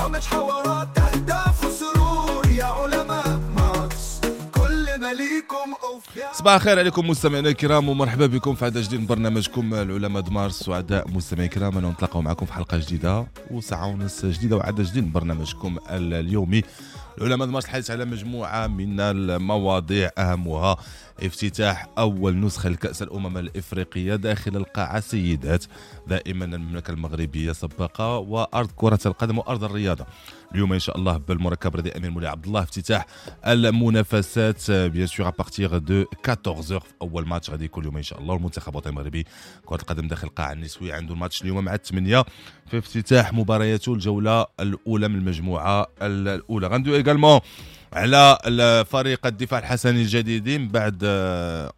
برامج، حوارات، اهداف وسرور. يا علماء مارس، كل ما ليكم اوفياء. صباح الخير عليكم مستمعينا الكرام، ومرحبا بكم في عدد جديد من برنامجكم العلماء د مارس. سعداء مستمعينا الكرام انه نتلاقاو معكم في حلقة جديدة وساعة ونص جديدة وعدد جديد من برنامجكم اليومي العلماء د مارس، الحديث على مجموعة من المواضيع، اهمها افتتاح اول نسخه لكاس الامم الافريقية داخل القاعة سيدات. دائما المملكة المغربية سباقه وارض كره القدم وارض الرياضة. اليوم ان شاء الله بالمركب الرياضي امير مولاي عبد الله افتتاح المنافسات، bien sûr à partir de 14، في اول ماتش غادي يكون اليوم ان شاء الله. المنتخب الوطني المغربي كره القدم داخل القاعة النسوي عنده الماتش اليوم مع 8 في افتتاح مبارياته الجولة الاولى من المجموعة الاولى. غندوي également على فريق الدفاع الحسني الجديدي من بعد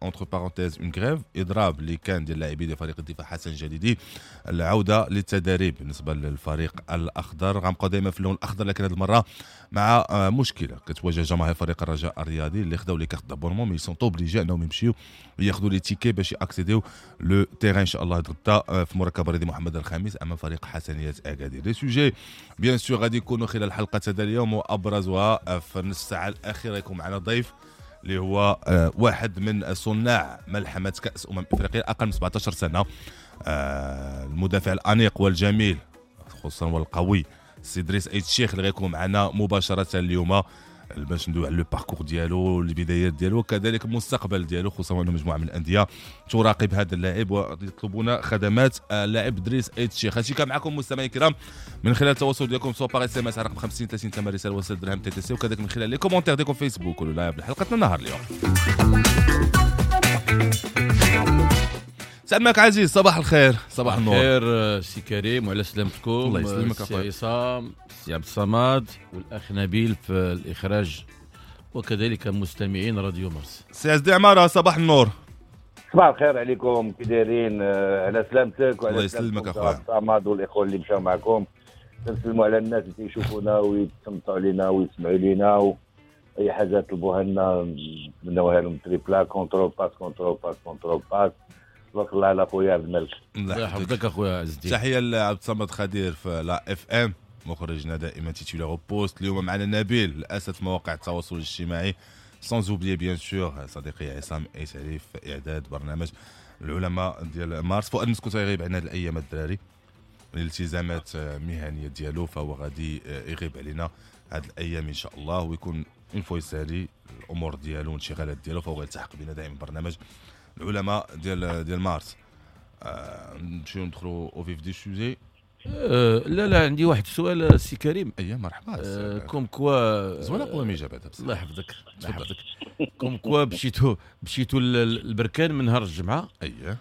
entre parenthèses une grève، اضراب اللي كان ديال اللاعبين ديال فريق الدفاع الحسني الجديدي، العودة للتدريب بالنسبة للفريق الاخضر. غنبقاو دائما في اللون الاخضر، لكن هذه المرة مع مشكلة كتواجه جماهير فريق الرجاء الرياضي اللي خداو les cartes d'abonnement، mais sont obligés انهم يمشيو ياخذوا les tickets باش ي accéder يو le terrain ان شاء الله غدا في مركب الرياضي محمد الخامس امام فريق حسنيه اكادير. les sujets bien sûr غادي يكونوا خلال حلقة هذا اليوم، وابرزها في النص الساعة الاخيرة يكون معنا ضيف اللي هو واحد من صناع ملحمة كاس افريقيا اقل من 17 سنه، المدافع الانيق والجميل خصوصا والقوي سي دريس ايت الشيخ، اللي غيكون معنا مباشرة اليوم باش ندوي على le parcours ديالو، البدايات ديالو، وكذلك المستقبل ديالو، خصوصا انه مجموعة من الاندية تراقب هذا اللاعب ويطلبون خدمات اللاعب دريس ايت الشيخ. هادشي كان معكم مستمعين الكرام من خلال التواصل ديالكم، soit par SMS على رقم 50 30 ثمن رسالة 6 درهم TTC، وكذلك من خلال les commentaires ديالكم فيسبوك ولا live لحلقتنا النهار اليوم. سلامك عزيز، صباح الخير، صباح النور. خير سي كريم وعلى سلامتكم. الله يسلمك سي أخويا. عصام، سي عبد الصمد والاخ نبيل في الاخراج، وكذلك مستمعين راديو مارس. سي عز الدين عمارة، صباح النور. صباح الخير عليكم، كي دايرين؟ على سلامتك وعلى الله يسلمك سلامتكم أخويا. عبد الصمد والاخوة اللي مشاو معكم. نسلموا على الناس اللي تيشوفونا ويتصنتوا علينا ويسمعوا لينا، واي حاجة طلبوها لنا نتمناوها لهم. triplé، contrôle، passe، contrôle، passe، contrôle، passe. تبارك الله على خويا عبد الملك. الله يحفظك اخويا عز الدين. تحية لعبد الصمد خدير في la FM، مخرجنا دائما titulaire au poste. اليوم معنا نبيل الاسد في مواقع التواصل الاجتماعي، sans oublier bien sûr صديقي عصام ايت علي في اعداد برنامج العلماء ديال مارس. فؤاد مسكوت غيغيب عنا هاد الايام الدراري، الالتزامات مهنية ديالو، فهو غادي يغيب علينا هاد الايام ان شاء الله، ويكون une fois يسالي الامور ديالو والانشغالات ديالو فهو يلتحق بنا دائما برنامج العلماء ديال مارس. نمشيو ندخلوا au vif du sujet. لا لا، عندي واحد السؤال سي كريم. اي مرحبا. Comme quoi زوينة قواميجه بعدا بصح. الله يحفظك الله تفضل. يحفظك. comme quoi مشيتو للبركان من نهار الجمعه. اييه.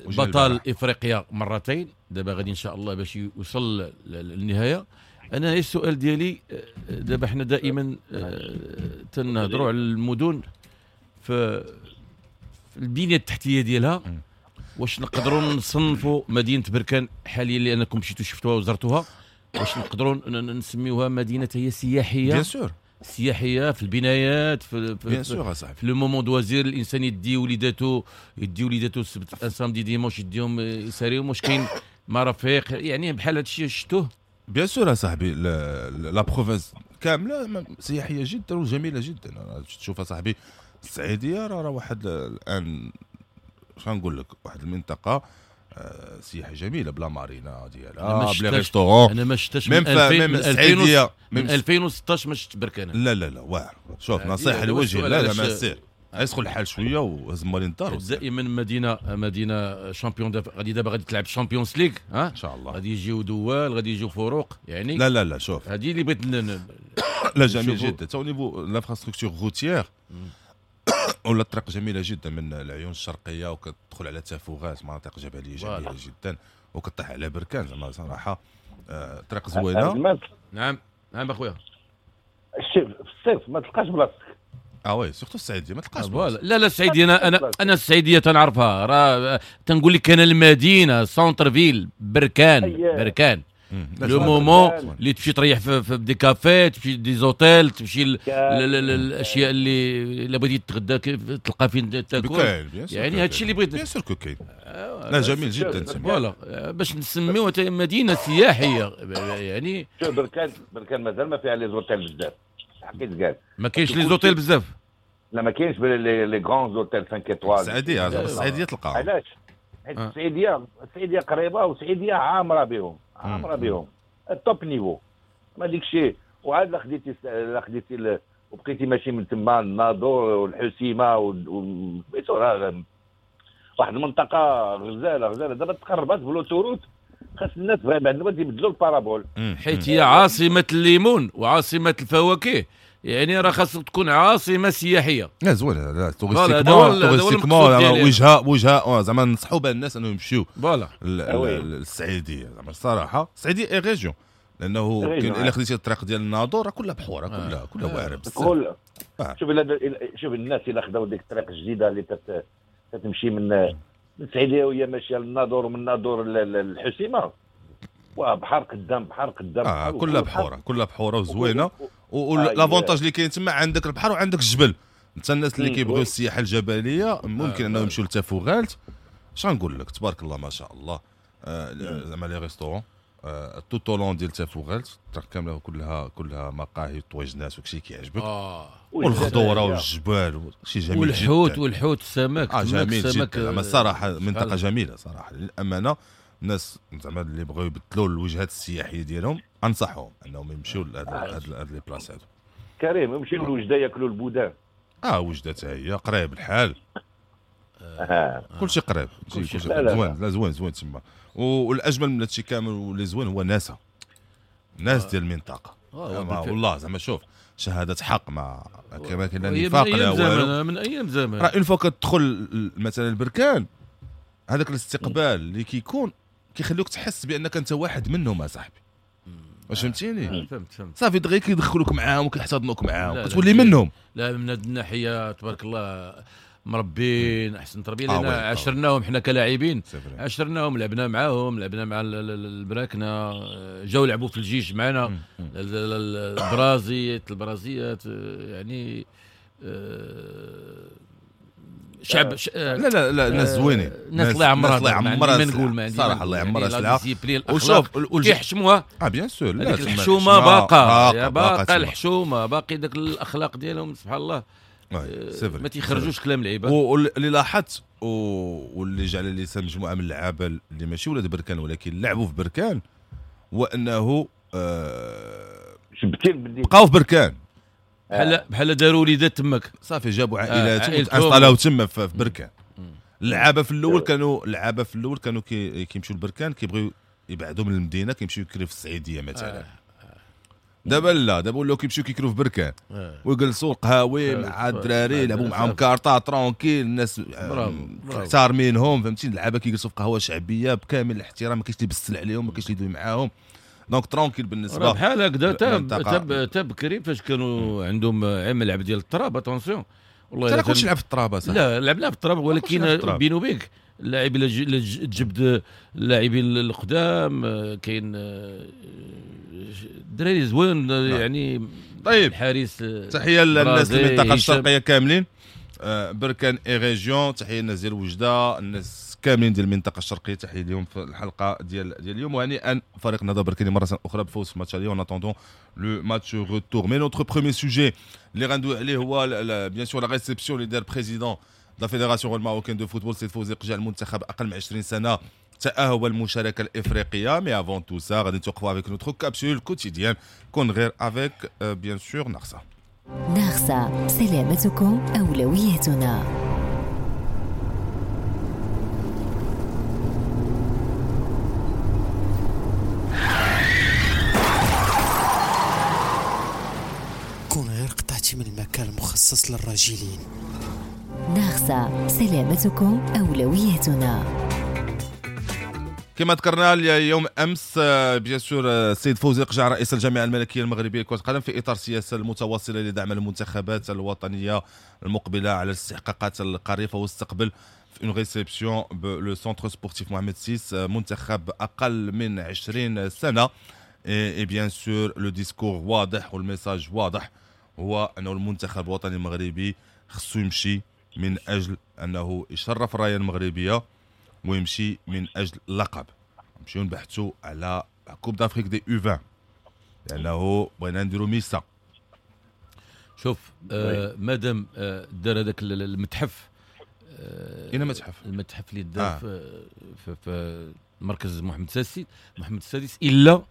وجا بطل البارح. افريقيا مرتين، دابا غادي ان شاء الله باش يوصل للنهايه. انا غير السؤال ديالي، دابا حنا دائما تنهضروا على المدن في البنية التحتية ديالها. واش نقدروا نصنفوا مدينة بركان حاليا، لانكم مشيتوا شفتوها وزرتوها، واش نقدروا نسميوها مدينة هي سياحية؟ bien sûr. سياحية في البنايات في bien sûr اصاحبي. في le moment de loisir، الانسان يدي وليداتو السبت، un samedi، dimanche، يديهم يساريهم. واش كاين مرافق يعني بحال هذا الشيء شفتوه؟ bien sûr اصاحبي، la province كاملة سياحية جدا وجميلة جدا. أنا تشوف اصاحبي السعيديه راه واحد الان اش غنقول لك، واحد المنطقة سياحية جميلة ب la marina أنا ما ديالها، ب les شفتهاش. restaurants. انا ما شفتش même من 2000 même من 2000 السعيديه من même 2016 ما شفت بركان. لا لا لا، واعر، شوف نصيحة هذا هو لوجه السؤال لا لا علاش- ما سير يسخن الحال شوية وهز مالين الدار وسير. دائما مدينه champion، غادي دابا غادي تلعب Champions League ها. ان شاء الله. غادي يجيو دول، غادي يجيو فروق يعني. لا لا لا، شوف. هذه اللي بغيت لا، جميل نشوفوا. جدا تا niveau l'infrastructure routière ولا الطريق جميلة جدا من العيون الشرقيه، وكتدخل على تافوغات، مناطق جبلية جميلة جدا، وكطيح على بركان. زعما صراحة طريق عبد زوينه. الملك. نعم نعم اخويا. الشيف في الصيف ما تلقاش بلاصتك. اه oui، surtout السعيديه ما تلقاش voilà. بلاصة. لا لا، السعيديه انا السعيديه تنعرفها، راه تنقول لك انا المدينة centre-ville بركان. أيه. بركان. le moment اللي تمشي تريح في des cafés، تمشي des hôtels، تمشي الاشياء اللي الا بغيتي تتغدى تلقى فين تاكل، يعني هادشي اللي بغيت. bien sûr que كاين. لا جميل جدا. voilà باش نسميوها مدينة سياحية يعني. شوف بركان مازال ما فيها les hôtels بزاف، حقيت قال ما كاينش les hôtels بزاف. لا ما كاينش les grands hôtels 5 étoiles. السعيديه السعيديه تلقاها. علاش؟ حيت السعيديه قريبه والسعيديه عامرة بهم، عامرة بهم ال top niveau ما ديك الشيء. وعاد لا خديتي وبقيتي ماشي من تما الناظور والحسيمه واحد المنطقة غزاله غزاله. دابا تقربات ب l'autoroute، خاص الناس vraiment يبدلوا ال parabole، حيت هي عاصمة الليمون وعاصمه الفواكه، يعني راه خاص تكون عاصمة سياحية. لا زوين، لا touristiquement وجهه زعما ننصحوا بها الناس انهم يمشيو voilà للسعيديه. زعما الصراحة السعيديه et région، لانه الا خديتي الطريق ديال الناظور راه كلها بحوره، كلها واعرة بزاف. شوف شوف الناس الا خداو ديك الطريق الجديدة اللي تتمشي من السعيديه وهي ماشية للناظور، ومن الناظور للحسيمه، وبحر قدام بحر قدام، كلها بحوره، كلها بحوره وزوينه. و l'avantage اللي كاين تما عندك البحر وعندك الجبل. انت الناس اللي كيبغيو السياحة الجبلية ممكن انهم يمشيو لتافوغالت. اش غنقول لك، تبارك الله ما شاء الله، زعما les restaurants tout au long ديال تافوغالت الطريق كاملة كلها مقاهي طويجنات وكشي كيعجبك، والخضوره والجبال شي جميل والحوت جداً. والحوت السمك جميل جدا. زعما الصراحة منطقة جميلة صراحة للامانة. الناس زعما اللي بغاو يبدلوا الوجهات السياحية ديالهم انصحهم انهم يمشيو لهاد les places هادو. كريم يمشيو لوجده ياكلوا ال boudin. وجده حتى هي قريب الحال، كلشي قريب، كلشي زوين. لا زوين زوين تما. والاجمل من هادشي كامل واللي زوين هو ناسا، ناس ديال المنطقة. والله زعما شوف شهادة حق، ما كما كاين لا نفاق لا والو، من ايام زمان. راه une fois كتدخل مثلا البركان، هذاك الاستقبال اللي كيكون كيخلوك تحس بانك انت واحد منهم اصاحبي. واش فهمتيني؟ فهمت. صافي دغيا كيدخلوك معاهم وكيحتضنوك معاهم، كتولي منهم. لا من هذه الناحية تبارك الله مربين احسن تربيه، لان عشرناهم حنا كلاعبين، عشرناهم، لعبنا معاهم، لعبنا مع البراكنه، جاو لعبوا في الجيش معنا، البرازيات يعني شعب لا لا لا ناس زوينين، ناس الله يعمرها، الله يعمرها، ما نقول ما عندي صراحة الله يعمرها سلعه. وشوف كيحشموها bien sûr. هذيك الحشومه باقا باقا الحشومه، باقي داك الاخلاق ديالهم سبحان الله، ما تيخرجوش كلام العباد. واللي لاحظت واللي جعل لي مجموعة من اللعابه اللي ماشي ولاد بركان ولكن لعبوا في بركان، هو انه بقاو في بركان، بحال داروا وليدات تماك، صافي جابوا عائلاتهم وتانستالاو تما في بركان. اللعابه في الاول كانوا كيمشيو لبركان، كيبغيو يبعدوا من المدينة، كيمشيو يكريو في السعيديه مثلا. دابا لا، دابا ولاو كيمشيو كيكريو في بركان ويجلسوا القهاوي مع الدراري، يلعبوا معاهم كارطه tranquille، الناس محترمينهم، فهمتي. اللعابه كيجلسوا في قهوة شعبية بكامل الاحترام، ما كاينش اللي يبسل عليهم، ما كاينش اللي يدوي معاهم، donc tranquille بالنسبة بحال هكذا. تا بكري فاش كانوا عندهم ملعب ديال التراب، attention والله الا كلشي لعب في التراب. لا لعبنا في التراب، ولكن بينو وبينك اللاعب الا تجبد اللاعبين القدام كاين الدراري زوين يعني. طيب الحارس، تحية للناس المنطقة الشرقية كاملين، بركان et région، تحية للناس ديال وجده، الناس كاملين ديال المنطقة الشرقية، تحية اليوم في الحلقة ديال اليوم. وهنيئا فريق النهضة بركاني مرة اخرى بفوز في ماتش اليوم، en attendant le match retour. mais notre premier sujet اللي غندوي عليه هو bien sûr la réception اللي دار président la fédération marocaine de football سيد فوزي قجع المنتخب اقل من 20 سنة تأهب المشاركة الإفريقية. mais avant tout ça غادي نتوقفوا avec notre capsule quotidienne كون غير avec bien sûr ناغسا. ناغسا، سلامتكم أولويتنا. كون غير قطعتي من المكان المخصص للراجلين. ناغسا، سلامتكم أولويتنا. كما ذكرنا اليوم امس bien sûr السيد فوزي قجع رئيس الجامعة الملكية المغربية لكرة القدم في اطار السياسة المتواصلة لدعم المنتخبات الوطنية المقبلة على الاستحقاقات القارية، واستقبل في une réception ب le centre sportif محمد 6، منتخب اقل من 20 سنه. et bien sûr le discours واضح وال message واضح، هو انه المنتخب الوطني المغربي خصو يمشي من اجل انه يشرف الراية المغربية ويمشي من اجل اللقب. نمشيو نبحثوا على Coupe d'Afrique des U20 لانه بغينا نديرو ميسا. شوف، مادام دار هذاك المتحف. اين متحف؟ المتحف اللي دار في مركز محمد السادس، محمد السادس، الا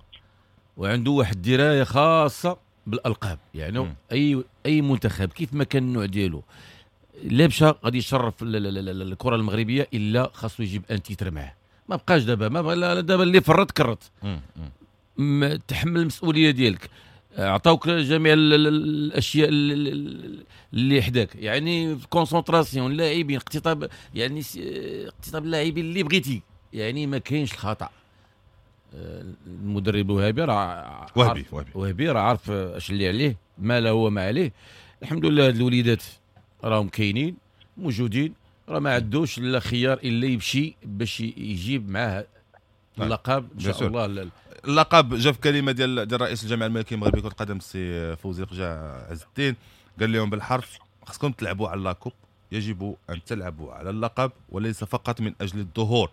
وعنده واحد الدراية خاصة بالالقاب، يعني اي منتخب كيف ما كان النوع ديالو لا مشى غادي يشرف الكره المغربيه، الا خاصو يجيب un titre معاه. ما بقاش دابا، ما بقى لا، دابا اللي فرط كرت. تحمل المسؤولية ديالك، عطاوك جميع الاشياء اللي حداك، يعني concentration اللاعبين، اقتطاب، يعني اقتطاب اللاعبين اللي بغيتي، يعني ما كاينش الخطا. المدرب وهبي راه وهبي وهبي. وهبي راه عارف اش اللي عليه، ما له وما عليه. الحمد لله هاد الوليدات راهم كاينين موجودين، راه ما عندوش لا خيار الا يمشي باش يجيب معاه اللقب ان شاء الله. اللقب جا في كلمة ديال رئيس الجامعة الملكية المغربية كره القدم السي فوزي لقجع عز الدين، قال لهم بالحرف: خصكم تلعبوا على la coupe، يجب ان تلعبوا على اللقب وليس فقط من اجل الظهور.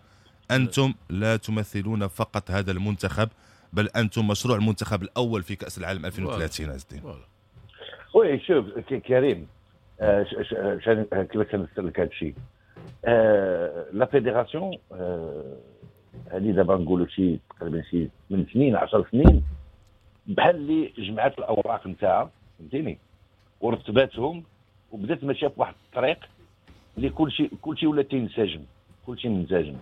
انتم لا تمثلون فقط هذا المنتخب، بل انتم مشروع المنتخب الاول في كاس العالم 2030. عز الدين. oui، شوف كريم، كيفاش نفسر لك هذا الشيء؟ la fédération هذه دابا نقولوا شي تقريبا شي 8 سنين، 10 سنين، بحال اللي جمعت الاوراق نتاعها، فهمتيني، ورتباتهم وبدات ماشية في واحد الطريق اللي كلشي ولا تينسجم، كلشي منسجم.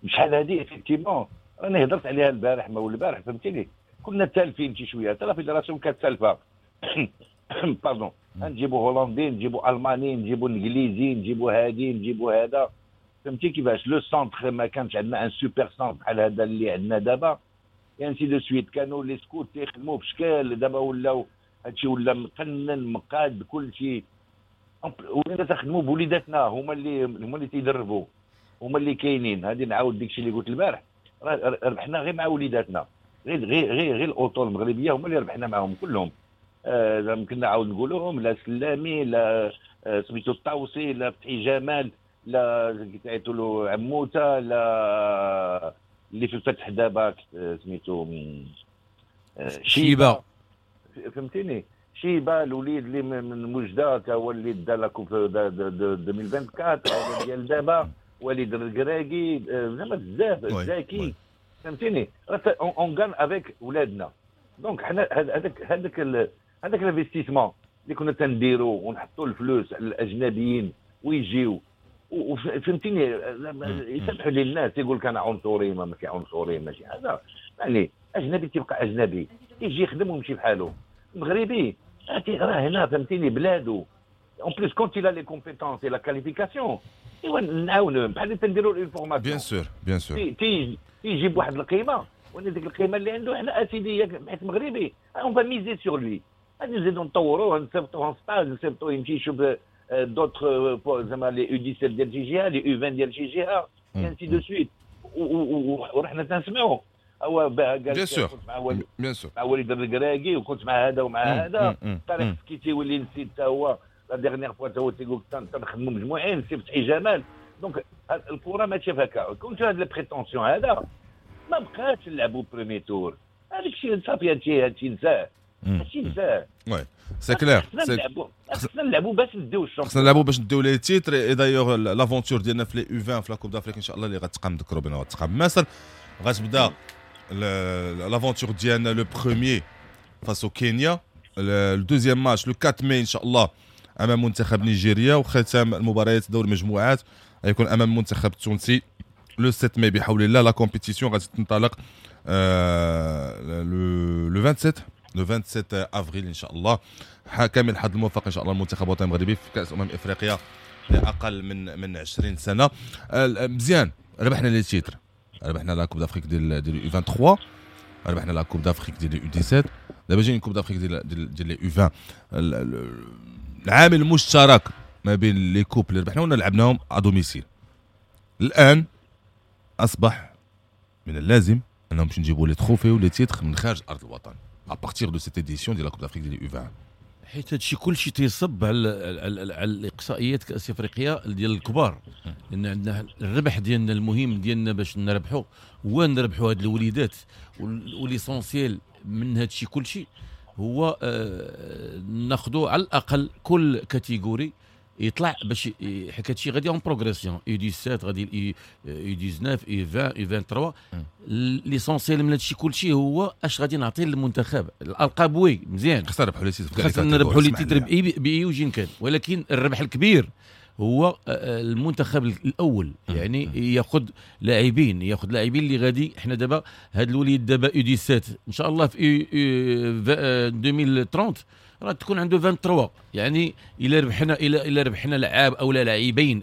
شحال هذه effectivement راني هضرت عليها البارح ما البارح، فهمتيني، كنا تالفين شي شويه، حتى la fédération كانت تالفه، pardon، نجيبوا هولندي، نجيبوا الماني، نجيبوا انجليزي، نجيبوا هادي، نجيبوا هذا، فهمتي كيفاش؟ le centre ما كانش عندنا un super centre بحال هذا اللي عندنا دابا، ainsi de suite. كانوا les scouts تيخدموا بشكال، دابا ولاو هادشي ولا مقنن مقاد كل شيء. ولينا تخدموا بوليداتنا، هما اللي تيدربوا، هما اللي كاينين. هذه نعاود داكشي اللي قلت البارح، راه ربحنا غير مع وليداتنا، غير الاطر المغربية هما اللي ربحنا معاهم كلهم. يمكن نعاود نقولوهم: لا سلامي، لا سميتو الطاوسي، لا فتحي جمال، لا تعيطوا له عموته، لا اللي في الفتح دابا سميتو شيبه. فهمتيني، شيبه، الوليد اللي من وجده تا هو اللي دا la coupe 2024 ديال دابا، وليد الركراكي، زعما بزاف، زاكي، فهمتيني، on gagne avec ولادنا. donc حنا هذاك l'investissement اللي كنا تنديرو ونحطوا الفلوس على الاجنبيين ويجيو، وفهمتيني، يسمحوا لي الناس يقول لك انا عنصري، ما ماشي عنصري ماشي هذا، يعني اجنبي تيبقى اجنبي، يجي يخدم ويمشي بحاله. المغربي راه هنا، فهمتيني، بلادو، en plus quand il a les compétences et la qualification ايوا نعاونوه بحال اللي تنديروا ال formation. bien sûr، bien sûr. تيجيب واحد القيمه، وانا ديك القيمة اللي عنده حنا اسيدي حيت مغربي on va miser sur lui، غادي نزيدو نطوروه، نصيفطوه stage، نصيفطوه يمشي يشوف d'autres زعما les U17 ديال شي جهه، les U20 ديال شي جهه، ainsi de suite. ورحنا تنسمعوا هو قال bien sûr. كنت مع وليد bien sûr. مع وليد الركراكي وكنت مع هذا ومع هذا، طارق سكيتي واللي نسيت حتى هو la dernière fois هو تيقول تنخدموا مجموعين، سي فتحي جمال. donc الكره ماشي هكا. كنت هاد les prétentions هذا ما بقاش نلعبوا premier tour، هذاك الشيء صافي، هادشي نساه، هادشي نساه. oui، c'est clair. خصنا نلعبوا باش نديو ال champion. خصنا نلعبوا باش نديو les titres. et d'ailleurs l'aventure ديالنا في les U20 في la Coupe d'Afrique ان شاء الله اللي غتقام، نذكروا بنا غتقام مصر، غتبدا l'aventure ديالنا le premier face au Kenya، ال deuxième match le 4 ماي ان شاء الله امام منتخب نيجيريا، وختام المباريات دور المجموعات غيكون امام المنتخب التونسي le 7 ماي بحول الله. la compétition غادي تنطلق le 27، le 27 افريل ان شاء الله. كامل الحظ الموفق ان شاء الله المنتخب الوطني المغربي في كاس افريقيا لاقل من 20 سنه. مزيان، ربحنا les titres، ربحنا la Coupe d'Afrique ديال U23، ربحنا la Coupe d'Afrique ديال U17، دابا جايين Coupe d'Afrique ديال U20. العامل المشترك ما بين les coupes اللي ربحنا ولا لعبناهم à domicile. الان اصبح من اللازم انهم باش نجيبوا les trophées و les titres من خارج ارض الوطن à partir de cette édition ديال la Coupe d'Afrique ديال U20. حيت هادشي كلشي تيصب على الاقصائيات كاس افريقيا ديال الكبار، لان عندنا الربح ديالنا المهم ديالنا باش نربحوا هو نربحوا هاد الوليدات، و l'essentiel من هادشي كلشي هو ناخذوا على الاقل كل catégorie يطلع باش حيت هادشي غادي en progression، U17 غادي U19 U20 U23. l'essentiel من هادشي كلشي هو اش غادي نعطي للمنتخب. الالقاب oui مزيان، خصنا نربحوا les titres، خصنا نربحوا les titres باي وجه كان، ولكن الربح الكبير هو المنتخب الاول، يعني ياخذ لاعبين، ياخذ لاعبين اللي غادي. حنا دابا هاد الوليد دابا U17 ان شاء الله في 2030 راه تكون عنده 23، يعني الى ربحنا لعاب او لا لاعبين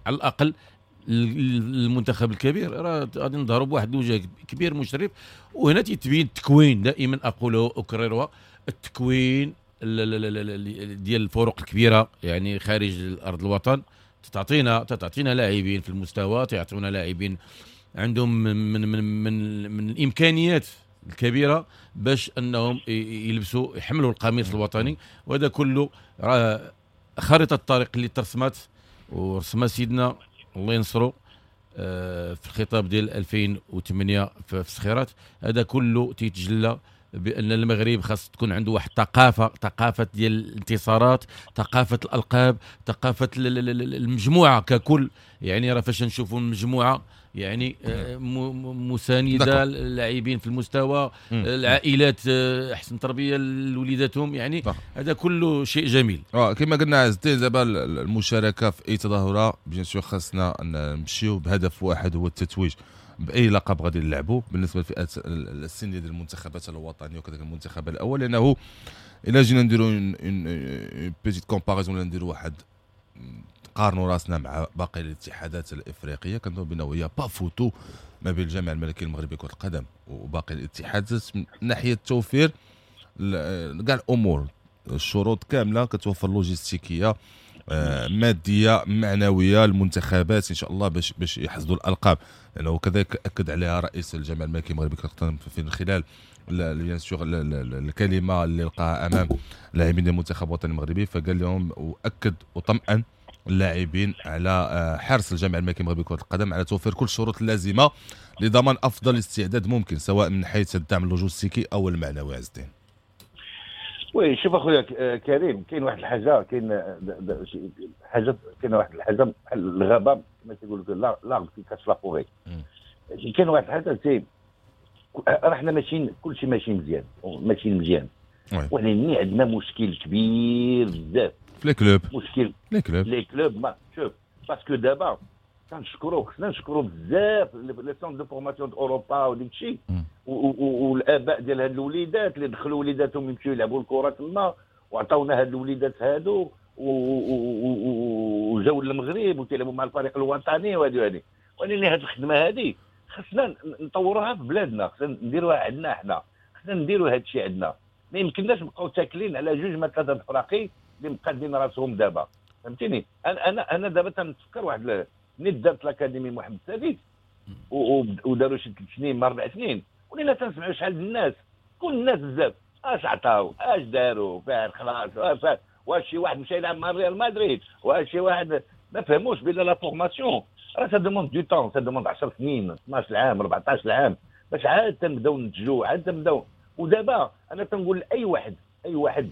على الاقل المنتخب الكبير راه غادي نظهروا بواحد الوجه كبير مشرف. وهنا تيتبين التكوين، دائما اقوله اكررها، التكوين ديال الفرق الكبيرة يعني خارج الارض الوطن تعطينا لاعبين في المستوى، تعطينا لاعبين عندهم من من من من الامكانيات الكبيرة باش انهم يلبسوا يحملوا القميص الوطني. وهذا كله راه خارطة الطريق اللي ترسمت ورسمها سيدنا الله ينصرو في الخطاب ديال 2008 في الصخيرات. هذا كله تيتجلى بان المغرب خاص تكون عنده واحد الثقافة، ثقافة ديال الانتصارات، ثقافة الالقاب، ثقافة المجموعة ككل. يعني راه فاش نشوفوا المجموعة يعني مساندة، اللاعبين في المستوى، العائلات احسن تربيه لوليداتهم، يعني هذا كله شيء جميل. كما قلنا عز الدين، دابا المشاركة في اي تظاهرة bien sûr خاصنا نمشيو بهدف واحد هو التتويج باي لقب غادي نلعبوا بالنسبة للفئات السنية ديال المنتخبات الوطنية وكذلك المنتخب الاول. لانه الا جينا نديروا une petite comparaison ولا نديروا واحد نقارنوا راسنا مع باقي الاتحادات الافريقية، كنظن بانه y a pas photo ما بين الجامعة الملكية المغربية لكرة القدم وباقي الاتحادات من ناحية توفير كاع الامور، الشروط كاملة كتوفر لوجستيكيه مادية معنوية المنتخبات ان شاء الله باش يحصدوا الالقاب. لانه كذلك اكد عليها رئيس الجامعة الملكية المغربية لكرة القدم في خلال bien sûr الكلمة اللي لقاها امام لاعبين المنتخب الوطني المغربي، فقال لهم واكد وطمأن اللاعبين على حرص الجامعة الملكية المغربية لكرة القدم على توفير كل الشروط اللازمة لضمان افضل استعداد ممكن، سواء من حيث الدعم اللوجستيكي او المعنوي. عز الدين، oui شوف اخويا كريم، كاين واحد الحاجة، كاين حاجة، كاين واحد الحاجة بحال الغابة كما تيقول لك l'arbre qui cache la forêt. كاين واحد الحاجة c'est راه حنا ماشيين كلشي ماشي مزيان، ماشيين مزيان، ولكن عندنا مشكل كبير بزاف في les clubs. مشكل les clubs، les clubs ما شوف parce que دابا كنشكرو، خصنا نشكرو بزاف les centres de formation اوروبا وديك الشيء والاباء ديال هاد الوليدات اللي دخلوا وليداتهم يمشيو يلعبوا الكره تما وعطاونا هاد الوليدات هادو وجاو للمغرب وتيلعبوا مع الفريق الوطني وهادي وهادي. ولكن هاد الخدمة هادي خصنا نطوروها في بلادنا، خصنا نديروها عندنا حنا، خصنا نديروا هاد الشيء عندنا. ما يمكنناش نبقاو تاكلين على جوج ما ثلاثة الفراقي اللي مقادين راسهم دابا، فهمتيني؟ انا دابا تنتفكر واحد ملي دارت l'académie محمد السادس وداروا شي 3 سنين ما 4 سنين، ولينا تنسمعوا شحال الناس، كل الناس بزاف اش عطاو اش داروا فار خلاص، واش شي واحد مشى يلعب مع ريال مدريد، واش شي واحد ما فهموش بان la formation راه ça demande du temps، ça demande 10 سنين 12 عام 14 عام باش عاد تنبداو ننتجو، عاد تنبداو. ودابا انا تنقول لاي واحد، اي واحد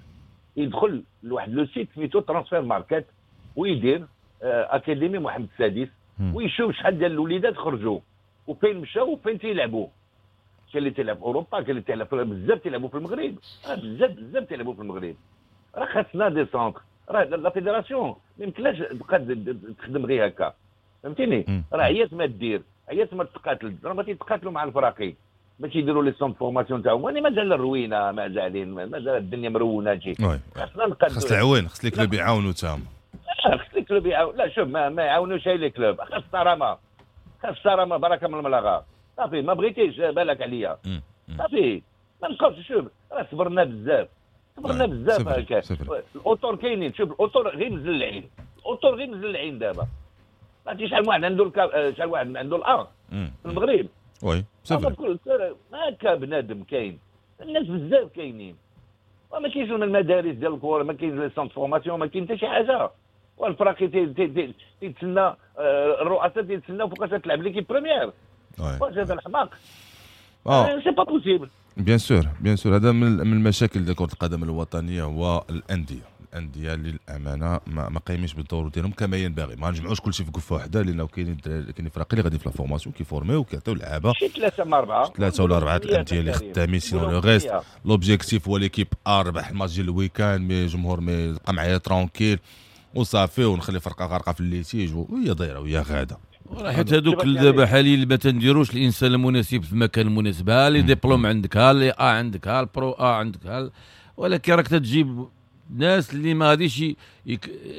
يدخل لواحد le site سميتو Transfermarkt ويدير académie محمد السادس ويشوف شحال ديال الوليدات خرجوا وفين مشاو وفين تيلعبوا. كاين اللي تيلعب في اوروبا، كاين اللي تيلعب بزاف تيلعبوا في المغرب، راه بزاف بزاف تيلعبوا في المغرب. راه خاصنا des centres، راه la fédération ما يمكنلاش تبقى تخدم غير هكا، فهمتيني؟ راه عيات ما دير، عيات ما تقاتل، راه ما تيتقاتلوا مع الفراقي باش يديروا les centres formation تاعهم. وانا مازال الروينه، مازالين، مازال الدنيا مرونة شي. خاصنا نقادوا، خاص العوين، خاص les clubs يعاونوا تاهم، خاص les clubs يعاونوا. لا شوف ما يعاونوش les clubs، خاص الصرامه، خاص الصرامه، بركة من الملاغه. صافي ما بغيتيش بالك عليا، صافي ما نبقاوش. شوف راه صبرنا بزاف، صبرنا بزاف هكا. الاطر كاينين، شوف الاطر غير مزلعين، الاطر غير مزلعين دابا. عرفتي شحال واحد عنده شحال واحد عنده ال A في المغرب. oui c'est vrai. هكا بنادم كاين، الناس بزاف كاينين، وما كاينش المدارس ديال الكره، ما كاين les centres formation، ما كاين حتى شي حاجة. والفراقي تيتسنى الرؤساء تيتسناو فوقاش تلعب l'équipe première. واش هذا الحماق؟ c'est pas possible. bien sûr bien sûr، هذا من المشاكل ديال كره القدم الوطنية هو الاندية. الاندية للامانة ما قايمينش بالدور ديالهم كما ينبغي. ما نجمعوش كلشي في كفه واحدة، لانه كاينين فراقي اللي غادي في la formation كيفورميو وكيعطيو لعابه، شي 3 مع 4، 3 ولا 4 الاندية اللي خدامين. sinon le reste l'objectif هو l'équipe A ربح الماتش ديال ال week-end، mais الجمهور mais بقى معايا tranquille وصافي، ونخلي فرقه غارقة في ال litige وهي دايرة وهي غاده. حيت هذوك دابا حاليا ما تنديروش الانسان المناسب في المكان المناسب. ها les diplômes عندك، ها les A عندك، ها ال pro A عندك، ها، ولكن راك تجيب ناس اللي ما غاديش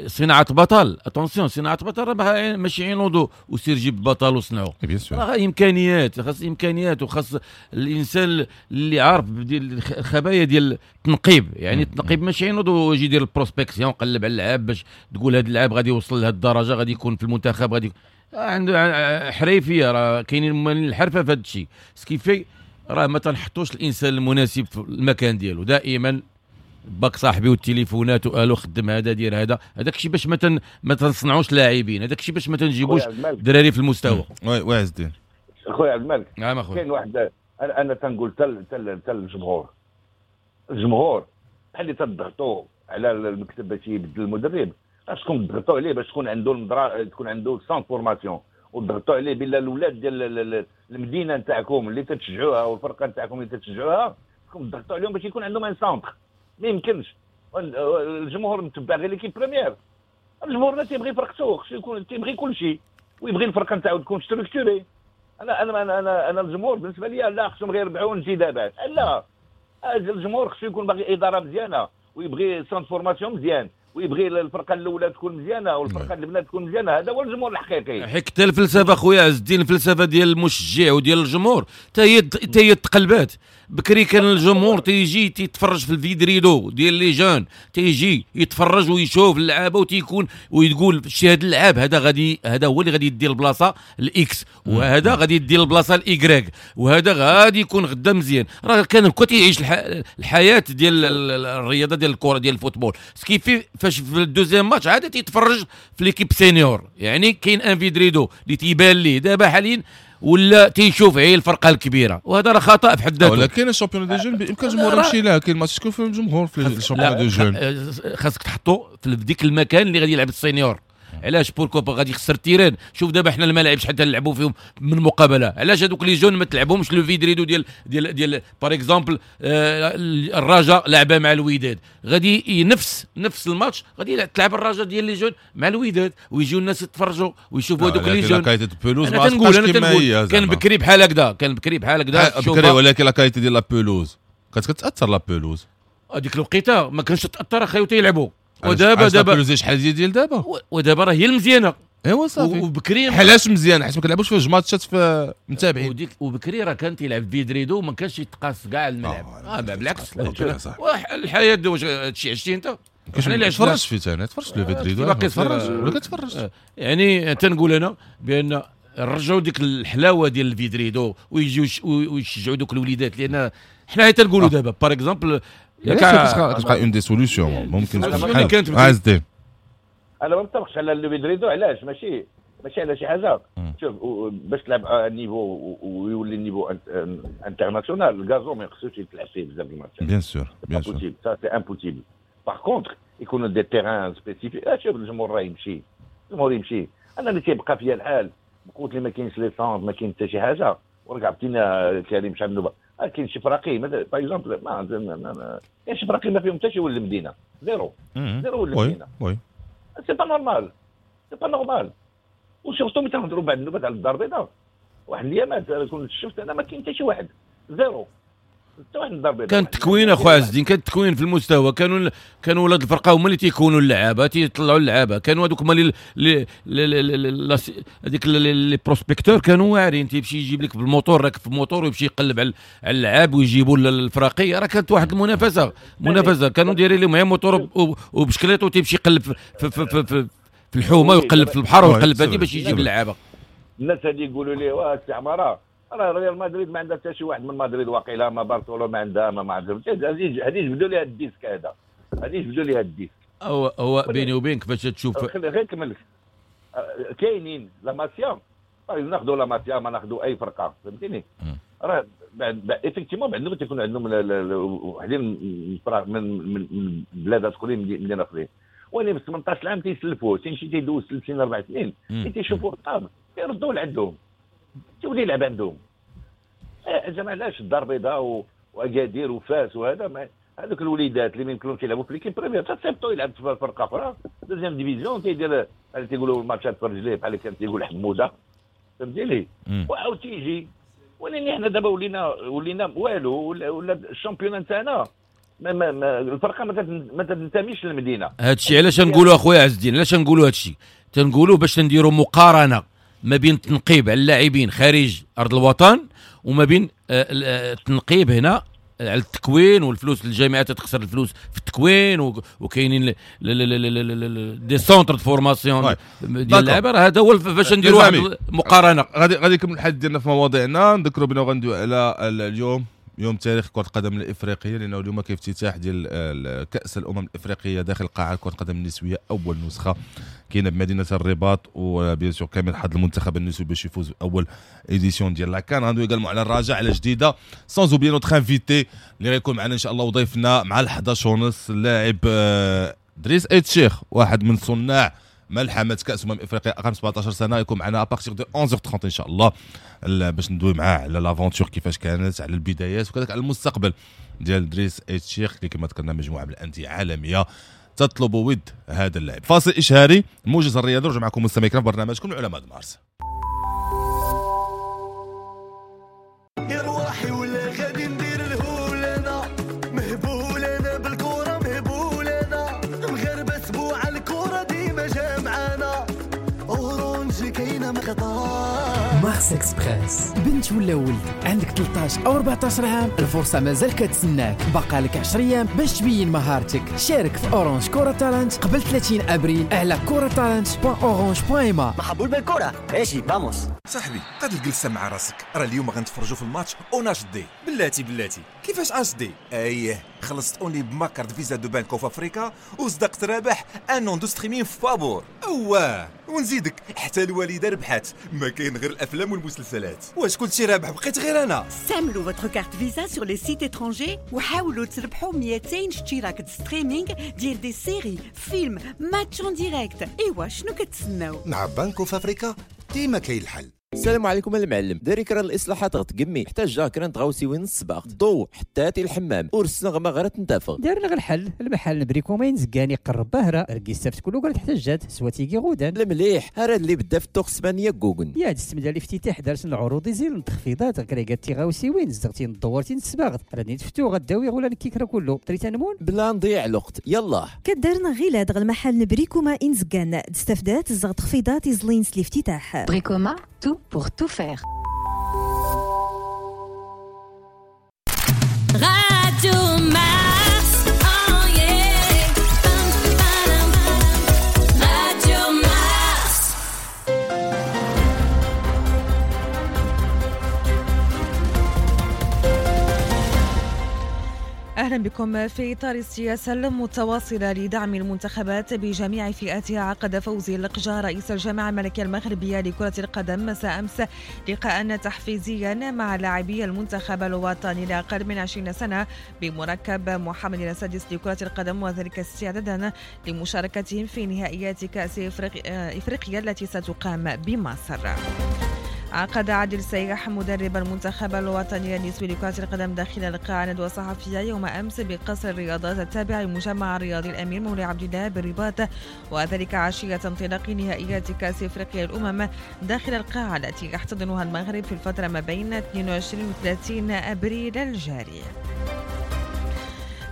صناعة بطل. attention، صناعة بطل راه ماشي ينوضوا وسير جيب بطل وصنعوا. راه امكانيات، خاص امكانيات، وخاص الانسان اللي عارف ديال الخبايا ديال التنقيب. يعني التنقيب ماشي ينوض ويجي يدير ال prospection، قلب على اللعاب باش تقول هذا اللاعب غادي يوصل لهذه الدرجة، غادي يكون في المنتخب، غادي عنده حريفيه. راه كاينين الحرفة في هذا الشيء. ce qui fait راه ما تنحطوش الانسان المناسب في المكان ديالو. دائما باك صاحبي والتليفونات وقالوا خدم هذا دير هذا، هذاك الشيء باش ما تنصنعوش لاعبين، هذاك الشيء باش ما تنجيبوش دراري في المستوى. oui oui عز الدين. خويا عبد الملك. نعم اخويا. كاين واحد انا تنقول تل الجمهور، الجمهور بحال اللي تضغطوا على المكتب باش يبدل المدرب، خاصكم تضغطوا عليه باش تكون عنده تكون عنده centre formation، وتضغطوا عليه بلا الاولاد ديال المدينة نتاعكم اللي تتشجعوها والفرقة نتاعكم اللي تتشجعوها، خاصكم تضغطوا عليهم باش يكون عندهم un centre. ما يمكنش الجمهور متبع غير l'équipe première. الجمهور ما تيبغي فرقته، خصو يكون تيبغي كل شيء، ويبغي الفرقة نتاعو تكون structurée. انا انا انا انا الجمهور بالنسبة لي لا، خصهم غير يربحوا انتدابات. لا، الجمهور خصو يكون باغي ادارة مزيانه، ويبغي centre formation مزيان، ويبغي الفرقة الاولى تكون مزيانه والفرقة البنات تكون مزيانه. هذا هو الجمهور الحقيقي. حيت حتى الفلسفة خويا عز الدين، الفلسفة ديال المشجع وديال الجمهور حتى هي تقلبات. بكري كان الجمهور تيجي تيتفرج في ال vide-rideau ديال les jeunes، تيجي يتفرج ويشوف اللعابه وتيكون ويقول شي هذا اللعاب هذا غادي، هذا هو اللي غادي يدير البلاصة ال X، وهذا غادي يدير البلاصة ال Y، وهذا غادي يكون غدا مزيان. راه كان هكا تيعيش الحياة ديال الرياضة ديال الكره ديال ال football. ce qui fait فاش في ال deuxième match عاد تيتفرج في l'équipe senior، يعني كاين un vide-rideau اللي تيبان ليه دابا حاليا ولا تيشوف غير الفرقة الكبيرة، وهذا راه خطا في حد ذاته. ولكن ال championnat des jeunes بامكان الجمهور يمشي لها، كاين ماتش كيكون فيه الجمهور في ال championnat des jeunes. خاصك تحطو في ديك المكان اللي غادي يلعب ال senior. علاش؟ pourquoi غادي يخسر ال terrain. شوف دابا حنا الملاعب شحال تنلعبوا فيهم من مقابله، علاش هذوك les jeunes ما تلعبهمش le vide-rideau ديال ديال ديال par exemple الرجاء لعبه مع الوداد، غادي نفس الماتش غادي تلعب الرجاء ديال les jeunes مع الوداد، ويجيو الناس يتفرجوا ويشوفوا هذوك les jeunes. انا تنقول كان بكري بحال هكذا، كان بكري بحال هكذا بكري، ولكن la qualité ديال la pelouse كانت كتاثر. la pelouse هذيك الوقيته ما كانش تاثر اخي وتيلعبوا. ودابا دابا شحال ديال دابا، ودابا راه هي المزيانه. ايوا صافي. وبكري علاش مزيان؟ حيت ما كنلعبوش في جوج ماتشات في متابعين. وبكري راه كان تيلعب vide-rideau وما كانش يتقاس كاع الملعب. بالعكس الحياة واش هادشي عشتي انت؟ حنا اللي تفرجت فيه انا، تفرجت le vide-rideau باقي تفرج ولا كتفرج. يعني تنقول انا بان رجعوا ديك الحلاوة ديال ال vide-rideau ويجيو ويشجعوا دوك الوليدات، لان حنا تنقولوا دابا par exemple كتبقى une des solutions ممكن تكون. عز الدين انا ما متفقش على le vide-rideau. علاش؟ ماشي على شي حاجة. شوف باش تلعب niveau ويولي ال niveau international، ال gazon ما يخصوش يتلعب فيه بزاف الماتشات. bien sûr bien sûr ça c'est impossible. par contre يكونوا des terrains spécifiques. شوف الجمهور راه يمشي، الجمهور يمشي. انا اللي تيبقى فيا الحال بقوت اللي ما كاينش les centres، ما كاين حتى شي حاجة. ورجع عطينا كريم شحال نوبه كاين شي فراقي مثلا par exemple ما كاين شي فراقي ما فيهم حتى شي ولد المدينة، zéro zéro ولد المدينة. oui c'est pas normal، c'est pas normal. و surtout ملي تنهضروا بعد النوبات على الدار البيضاء، واحد الايامات كنت شفت انا ما كاين حتى شي واحد، zéro حتى واحد الدار البيضاء. كان تكوين اخويا عز الدين، كان تكوين في المستوى. كانوا ولاد الفرقة هما اللي تيكونوا اللعابه، تيطلعوا اللعابه. كانوا هذوك هما اللي هذيك les prospecteurs كانوا واعرين، تيمشي يجيب لك بالموتور، راكب في الموتور ويمشي يقلب على اللعاب ويجيبوا للفراقي. راه كانت واحد المنافسة، منافسه كانوا دايرين لهم غير موتور وبشكليت وتيمشي يقلب في, في, في, في, في في الحومه ويقلب في البحر ويقلب هذه باش يجيب اللعابه. الناس هذه يقولوا لي واه السي عمارة راه ريال مدريد ما عندها حتى شي واحد من مدريد واقيلا، ما برشلونة ما عندها، ما عندها. هذه جبدوا لها ال disque، هذا هذه جبدوا لها ال disque. هو بيني وبينك فاش تشوف غير كمل، كاينين la Masia، ناخذوا la Masia ما ناخذوا اي فرقه، فهمتيني؟ راه effectivement عندهم تيكون عندهم وحدين من بلادات اخرين، مدينة اخرين، ولكن في 18 عام تيسلفوه، تيمشي تيدوز 3 سنين 4 سنين تيشوفوه طاب يردوه لعندهم، تولي يلعب عندهم. زعما علاش الدار البيضاء واكادير وفاس وهذا، هذوك الوليدات اللي ما يمكنلهمش يلعبوا في l'équipe première تصيفطوا يلعب في فرقه اخرى deuxième division، تيدير بحال تيقولوا الماتشات في رجليه بحال كان تيقول حموده، فهمتيني؟ وعاود تيجي. ولكن حنا دابا ولينا والو، ولا ال championnat تاعنا ما الفرقة ما تنتميش للمدينة. هادشي علاش نقولوا اخويا عز الدين، علاش نقولوا هادشي؟ تنقولوا باش نديروا مقارنة ما بين التنقيب على اللاعبين خارج ارض الوطن وما بين التنقيب هنا على التكوين والفلوس. الجامعات تخسر الفلوس في التكوين، وكاينين des centres de formation ديال اللعابه. راه هذا هو باش نديروا واحد المقارنة. غادي نكمل الحديث ديالنا في مواضيعنا. نذكروا بنا غندوي على اليوم يوم تاريخ كرة القدم الإفريقية، لأنه اليوم كاين افتتاح ديال كأس الأمم الإفريقية داخل قاعة كرة القدم النسوية، أول نسخة كاينة بمدينة الرباط، و bien sûr كامل حظ المنتخب النسوي باش يفوز بأول édition ديال la CAN. غندوي également على الرجاء على جديدة، sans oublier notre invité اللي غيكون معنا إن شاء الله وضيفنا مع 11:30 اللاعب دريس ايت شيخ، واحد من صناع ملحمة كأس أمم إفريقيا أقل 17 سنة، يكون معنا à partir de 11:30 إن شاء الله باش ندوي معاه على l'aventure كيفاش كانت، على البدايات وكذلك على المستقبل ديال دريس ايت شيخ اللي كما ذكرنا مجموعة من الأندية عالمية تطلب ود هذا اللاعب. فاصل إشهاري، موجز الرياضي، نرجع معكم مستمعين في برنامجكم العلماء مارس. مارس اكسبريس، بنت ولا ولد عندك 13 او 14 عام، الفرصة مازال كتسناك، باقا لك 10 ايام باش تبين مهارتك. شارك في Orange Kora Talent قبل 30 ابريل على koratalent.orange.ma. محبول بالكرة، اجي vamos. صاحبي قاد الجلسة مع راسك، راه اليوم غنتفرجوا في الماتش en HD. بلاتي بلاتي كيفاش HD؟ اييه خلصت only ب ma carte Visa de Bank of Africa وصدقت رابح un an de streaming فابور. اواه ونزيدك حتى الوالدة ربحات، ما كاين غير الافلام والمسلسلات. واش كلشي رابح بقيت غير انا؟ استعملوا votre carte Visa sur les sites étrangers وحاولوا تربحوا 200 اشتراك streaming ديال des séries، films، matchs en direct. ايوا شنو كتسناو؟ مع Bank of Africa ديما كاين الحل. السلام عليكم المعلم، داري كرا الاصلاحات غتقمي حتى جا كرا نتغاوسي وين السباق ضو حتى تي الحمام ورسنا ما غير تنتفق. دارنا غير الحل المحل بريكوما ينزكاني قرب بهره ركيستافت كله قالت حتى جات سواتيكي غودان المليح هرا اللي بدا في التوق اسبانيا كوكن يا هاد السمده الافتتاح دارت العروض زين التخفيضات كريكات تيغاوسي وين زغتي ندورتي السباغ راني تفتو غداوي ولا نكيكرا كله تريت نمون بلا نضيع الوقت. يلا كدارنا غير هاد المحل نبريكوما انزكان استفدات زغ تخفيضات زلين الافتتاح بريكوما tout pour tout faire. Radio Mars, oh yeah. Radio Mars. أهلا بكم. في إطار السياسة المتواصلة لدعم المنتخبات بجميع فئاتها، عقد فوزي لقجع رئيس الجامعة الملكية المغربية لكرة القدم مساء أمس لقاء تحفيزيا مع لاعبي المنتخب الوطني لأقل من 20 سنة بمركب محمد السادس لكرة القدم، وذلك استعدادا لمشاركتهم في نهائيات كأس إفريقيا التي ستقام بمصر. عقد عادل سياح مدرب المنتخب الوطني النسوي لكرة القدم داخل القاعة ندوة صحفية يوم أمس بقصر الرياضات التابع لمجمع الرياضي الأمير مولاي عبد الله بالرباط، وذلك عشية انطلاق نهائيات كأس إفريقيا الأمم داخل القاعة التي يحتضنها المغرب في الفترة ما بين 22 و 30 أبريل الجاري.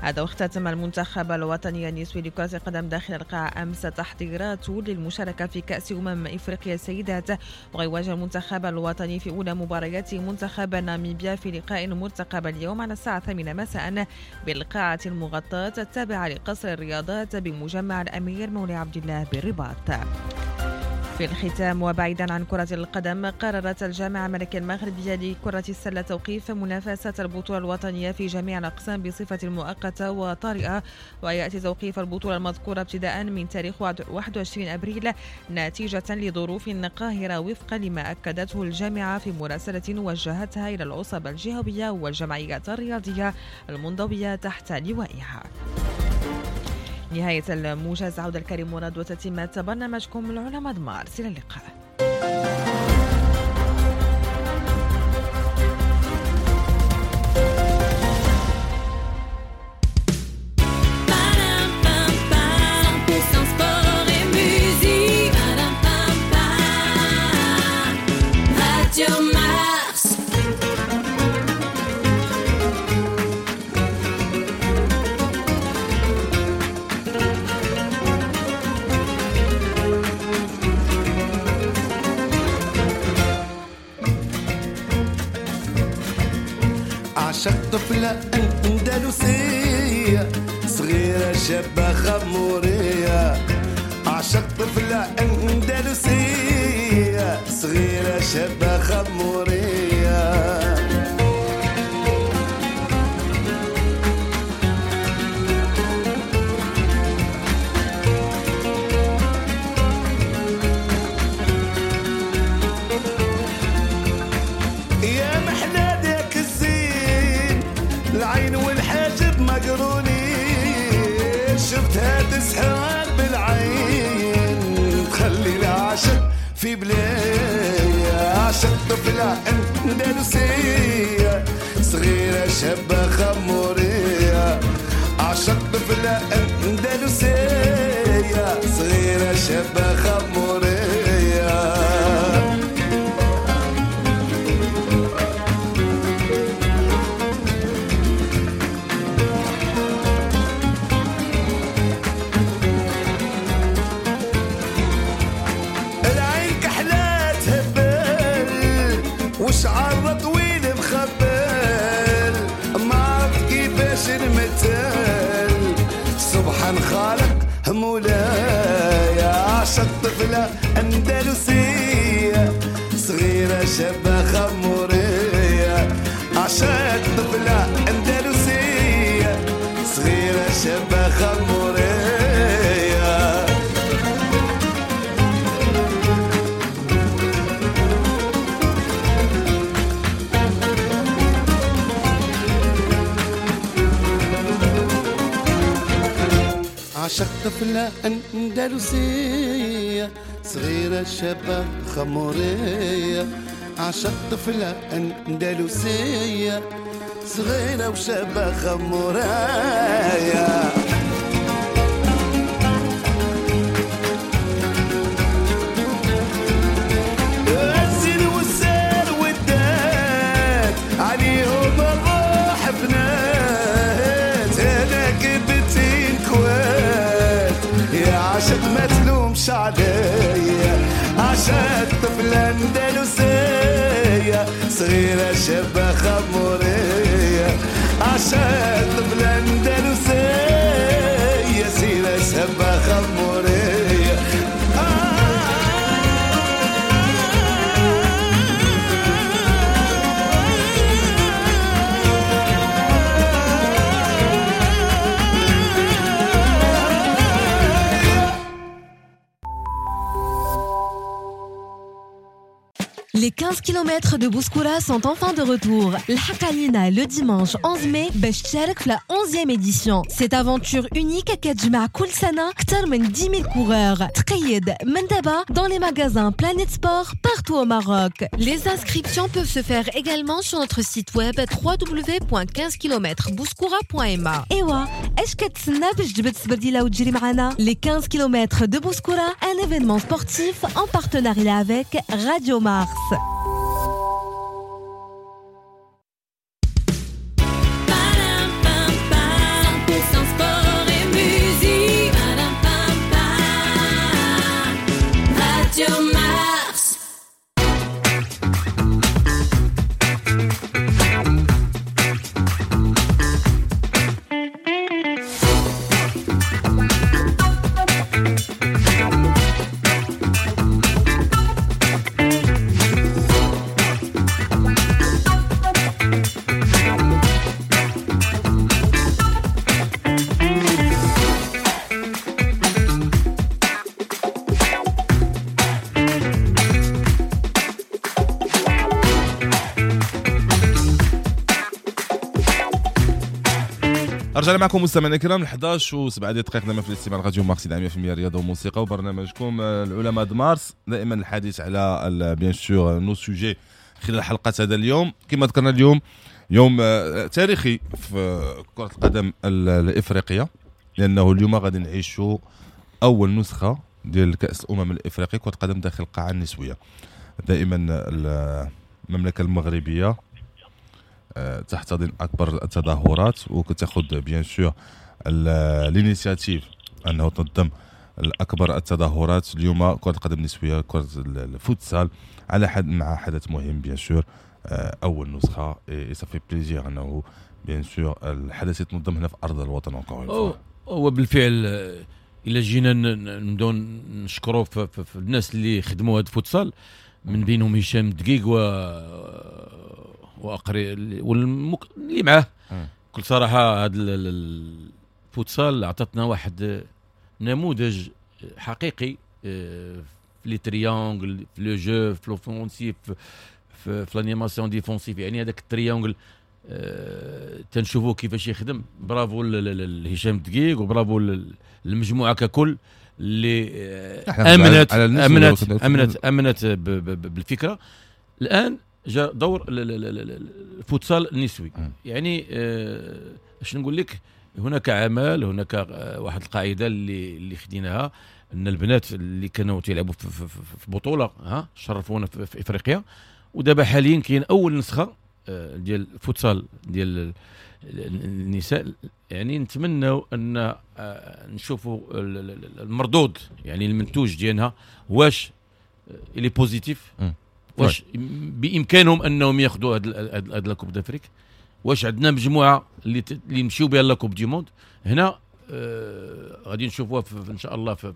هذا واختتم المنتخب الوطني النسوي لكرة القدم داخل القاعة أمس تحضيراته للمشاركة في كأس إفريقيا السيدات، ويواجه المنتخب الوطني في أولى مباريات منتخب ناميبيا في لقاء مرتقب اليوم على الساعة 8 مساء بالقاعة المغطاة التابعة لقصر الرياضات بمجمع الأمير مولاي عبد الله بالرباط. في الختام وبعيدا عن كرة القدم، قررت الجامعة الملكية المغربية لكرة السلة توقيف منافسة البطولة الوطنية في جميع الأقسام بصفة مؤقتة وطارئة، ويأتي توقيف البطولة المذكورة ابتداء من تاريخ 21 أبريل نتيجة لظروف قاهرة وفقا لما أكدته الجامعة في مراسلة وجهتها إلى العصب الجهوية والجمعيات الرياضية المنضوية تحت لوائها. نهاية الموجز، عودة الكريم مراد وتتمة برنامجكم العلماء مارس. إلى اللقاء. عشق طفلة أندلسية صغيرة شابة خمورية، عشق طفلة أندلسية صغيرة شابة خمورية. يا محلى ذاك الزين، العين والحاجب مقروني، شفتها تسحر بالعين تخلي العاشق في بلايا. عاشق طفلة أندلسية صغيرة شابة خمورية، عاشق طفلة أندلسية صغيرة شابة خمورية. وشعر طويل مخبل ما عرفت كيفاش نمثل، سبحان خالق مولاي. عاشق طفلة أندلسية صغيرة شابة خمورية، عاشق طفلة أندلسية صغيرة شابة خمورية. عشق طفلة أندلسية صغيرة شابة خمورية، عشق طفلة أندلسية صغيرة وشابة خمورية. الزين والسير والدات عليهم الروح فنات، أنا كبتين كوات يا عاشق ما تلومش عليا. عاشق طفلة أندلسية صغيرة شابة خمورية، عاشق طفلة أندلسية صغيرة شابة خمورية. Les 15 km de Bouskoura sont enfin de retour. الحق علينا le dimanche 11 mai باش تشارك في la 11e édition. Cette aventure unique كتجمع كل سنة أكثر من 10 000 coureurs. تقيد من دابا dans les magasins Planet Sport partout au Maroc. Les inscriptions peuvent se faire également sur notre site web www.15kmbouskoura.ma. إيوا اش كتسنى باش تجبد السبرديلة وتجري معنا؟ Les 15 km de Bouskoura, un événement sportif en partenariat avec Radio Mars. 100% sport et musique. Radio Mars. رجعنا معكم مستمعينا الكرام 11 و7 دقائق دائما في الاستماع راديو مارس 100% رياضة وموسيقى وبرنامجكم العلماء د مارس. دائما الحديث على bien sûr nos sujets خلال حلقة هذا اليوم. كما ذكرنا اليوم يوم تاريخي في كره القدم الافريقية، لانه اليوم غادي نعيشوا اول نسخه ديال كاس الامم الافريقية كره القدم داخل القاعة النسوية. دائما المملكة المغربية تحتضن اكبر التظاهرات وكتاخذ bien sûr l'initiative انه تنظم الاكبر التظاهرات. اليوم كره القدم النسوية، كره الفوتسال، على حد مع حدث مهم bien sûr اول نسخه، et ça fait plaisir انه bien sûr الحدث يتنظم هنا في ارض الوطن. هو بالفعل الا جينا نبداو نشكروا في الناس اللي خدموا هذا الفوتسال، من بينهم هشام دقيق و واقري اللي معاه. بكل صراحة هذا الفوتسال عطتنا واحد نموذج حقيقي في les triangles، في le jeu، في l'offensif، في l'animation défensive. يعني هذاك ال triangle تنشوفوه كيفاش يخدم. برافو لهشام دقيق وبرافو للمجموعة ككل اللي امنت امنت امنت امنت بالفكرة. الان جاء دور الفوتسال النسوي. يعني اش نقول لك، هناك عمل، هناك واحد القاعدة اللي خديناها ان البنات اللي كانوا تيلعبوا في بطوله ها شرفونا في افريقيا، ودابا حاليا كاين اول نسخه ديال الفوتسال ديال النساء. يعني نتمنوا ان نشوفوا المردود، يعني المنتوج ديالها واش il est positif، واش بامكانهم انهم ياخذوا هاد la Coupe d'Afrique، واش عندنا مجموعة اللي يمشيو بها la Coupe du monde. هنا غادي نشوفوها ان شاء الله في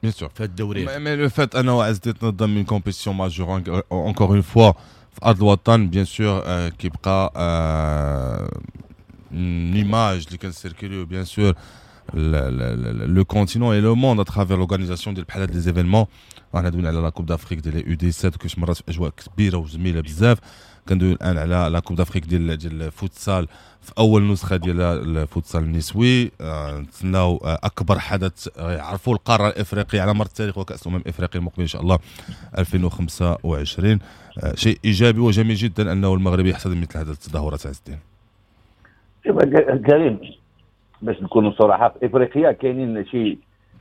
bien sûr في الدوري. mais le fait انه عز تنظم une compétition majeure encore une fois في ارض الوطن، bien sûr كيبقى une image اللي كنسيركوليو bien sûr le continent et le monde à travers l'organisation ديال بحال هاد les événements. رانا دوينا على la Coupe d'Afrique ديال U17 كيفاش مرات في اجواء كبيرة وجميلة بزاف. كندوي الان على la Coupe d'Afrique ديال الفوتسال في اول نسخه ديال الفوتسال النسوي. نتسناو اكبر حدث يعرفوا القارة الافريقية على مر التاريخ وكاس الامم الافريقية المقبل ان شاء الله 2025. شيء ايجابي وجميل جدا انه المغرب يحتضن مثل هذه التظاهرات. عز الدين. كريم، باش نكونوا صراحة، في افريقيا كاينين شي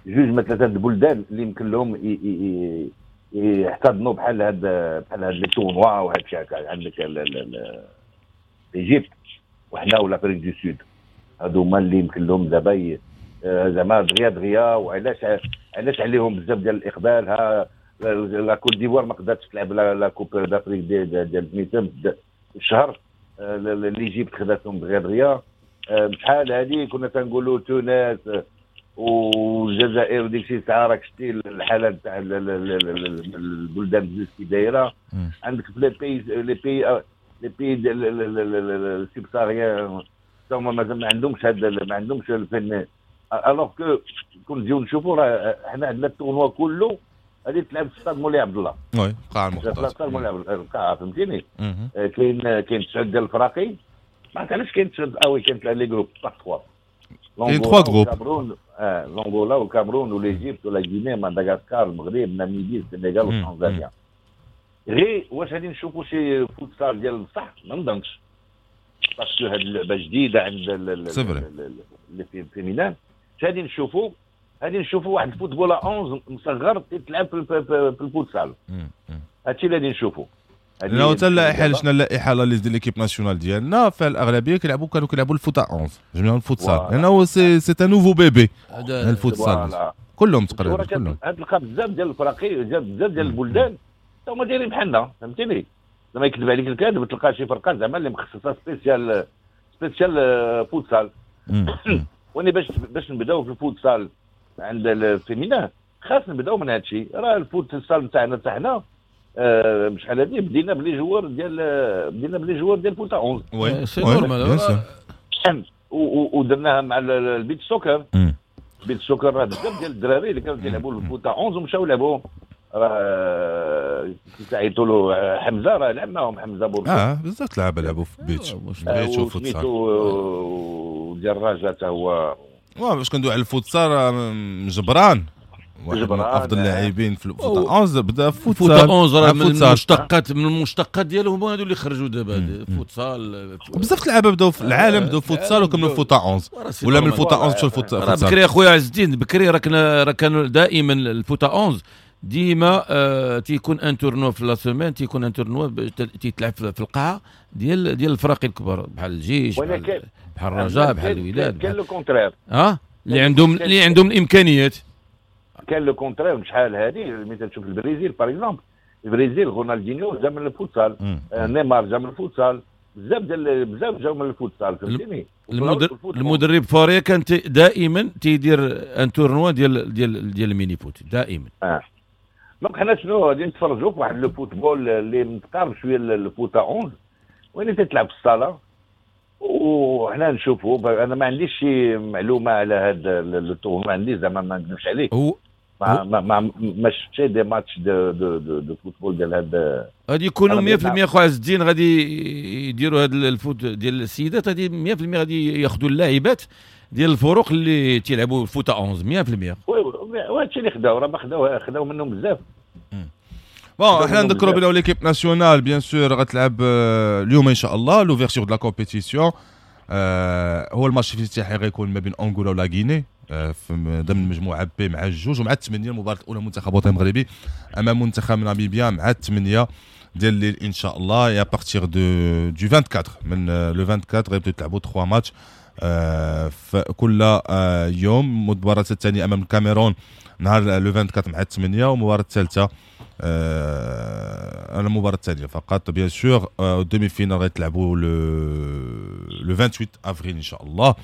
جوج ما ثلاثة البلدان اللي يمكن لهم يحتضنوا بحال هاد les tournois وهاد الشيء هكا. عندك l'Égypte وحنا و l'Afrique du Sud، هادو هما اللي يمكن لهم دابا زعما دغيا دغيا. وعلاش علاش عليهم بزاف ديال الاقبال؟ ها la Côte d'Ivoire ما قدرتش تلعب la Coupe d'Afrique ديال 200 الشهر، l'Égypte خداتهم دغيا دغيا. شحال هذه كنا تنقولوا تونس والجزائر وديك الشيء، ساعة راك شتي الحالة تاع البلدان بزاف كي دايرة. عندك في les pays subsahariens هما مازال ما عندهمش هذا، ما عندهمش الفن، alors que كون نجيو نشوفوا راه حنا عندنا ال tournoi كله غادي تلعب في ستاد مولاي عبد الله. oui، قاعة المختار. ستاد مولاي عبد الله القاعه، فهمتيني؟ كاين تسعود ديال الفراقي، ما عرفت علاش كاين تسعود. اه oui، كاين les groupes par 3. كاين 3 groupes. الكاميرون، l'Angola والكاميرون و l'Égypte و la Guinée، مدغشقر، المغرب، ناميبيا، السنغال وتنزانيا. غير واش غادي نشوفوا شي فوتسال ديال بصح؟ ما نظنش، parce que هذه اللعبة جديدة عند c'est vrai. les féminins. غادي نشوفوا واحد ال football 11 مصغر تلعب في الفوتسال. هادشي اللي غادي نشوفوا. لو حتى اللائحه، شفنا اللائحة اللي ديال l'équipe nationale ديالنا، فالاغلبيه كانوا كيلعبوا ال foot 11 جميع الفوتسال، لانه c'est un nouveau bébé الفوتسال، كلهم تقريبا كلهم. تلقى بزاف ديال الفراقي، بزاف ديال البلدان هما دايرين بحالنا، فهمتيني؟ زعما يكذب عليك الكاذب تلقى شي فرقه زعما اللي مخصصة spécial spécial futsal. وني باش نبداو في الفوتسال عند ال féminin خاص نبداو من هذا الشيء. راه الفوتسال نتاعنا حنا شحال هادي بدينا ب les joueurs ديال foot 11. oui، c'est normal. ودرناها مع ال beach soccer. ال beach soccer راه بزاف ديال الدراري اللي كانوا تيلعبوا ال foot 11 ومشاو لعبوا. راه تعيطوا له حمزه، راه لعب معاهم حمزة بوركو. اه، بزاف لعابه لعبوا في beach beach وفوتسال. وسميتو وديال الرجاء حتى هو. باش كندوي على الفوتسال، جبران واحد من افضل اللاعبين في الفوتا 11 بدا فوتا 11، راه من المشتقات ديالهم هما هادو اللي خرجوا دابا فوتسال. بزاف اللعابه بداو في العالم، بداو فوتسال وكملوا فوتا 11 ولا من الفوتا 11 مشاو الفوتسال. بكري اخويا عز الدين، بكري راه كانوا دائما الفوتا 11 ديما تيكون un tournoi في la semaine، تيكون un tournoi تيتلعب في القاعة ديال الفرق الكبار بحال الجيش، بحال الرجاء، بحال الوداد. كان le contraire. اه اللي عندهم الامكانيات. كان le contraire شحال هذه، ملي تشوف البرازيل par exemple، البرازيل رونالدينيو جا من الفوتسال، نيمار جا من الفوتسال، بزاف ديال بزاف جاو من الفوتسال، فهمتيني؟ المدرب فاريا كان دائما تيدير un tournoi ديال ال mini-foot دائما. Donc حنا شنو غادي نتفرجوا في واحد le football اللي متقارب شوية الفوتا 11 وين تتلعب في الصاله، وحنا نشوفوا. انا ما عنديش شي معلومة على هذا le tournoi، ما عنديش، زعما ما نكذبش عليك، هو ما شفتش des matchs de football ديال هذا. غادي يكونوا 100% اخو عز الدين، غادي يديروا هذا ال foot ديال السيدات، غادي 100% غادي ياخذوا اللاعبات ديال الفرق اللي تيلعبوا فوتا 11 100%. oui، وهادشي اللي خداو، راه ما خداو منهم بزاف. bon، حنا نذكروا بلي l'équipe nationale bien sûr غتلعب اليوم ان شاء الله l'ouverture de la compétition. هو الماتش الافتتاحي غيكون ما بين انغولا و la Guinée في ضمن المجموعة B مع الجوج، ومع الثمانية المباراة الاولى منتخب وطني المغربي امام منتخب ناميبيا مع الثمانية ديال الليل ان شاء الله. à partir du 24، من le 24 غيبداو يتلعبوا 3 ماتش في كل يوم. المباراة الثانية امام الكاميرون نهار le 24 مع 8، والمباراة الثالثة المباراة الثانية فقط bien sûr، demi-finale غيتلعبوا le 28 افريل ان شاء الله،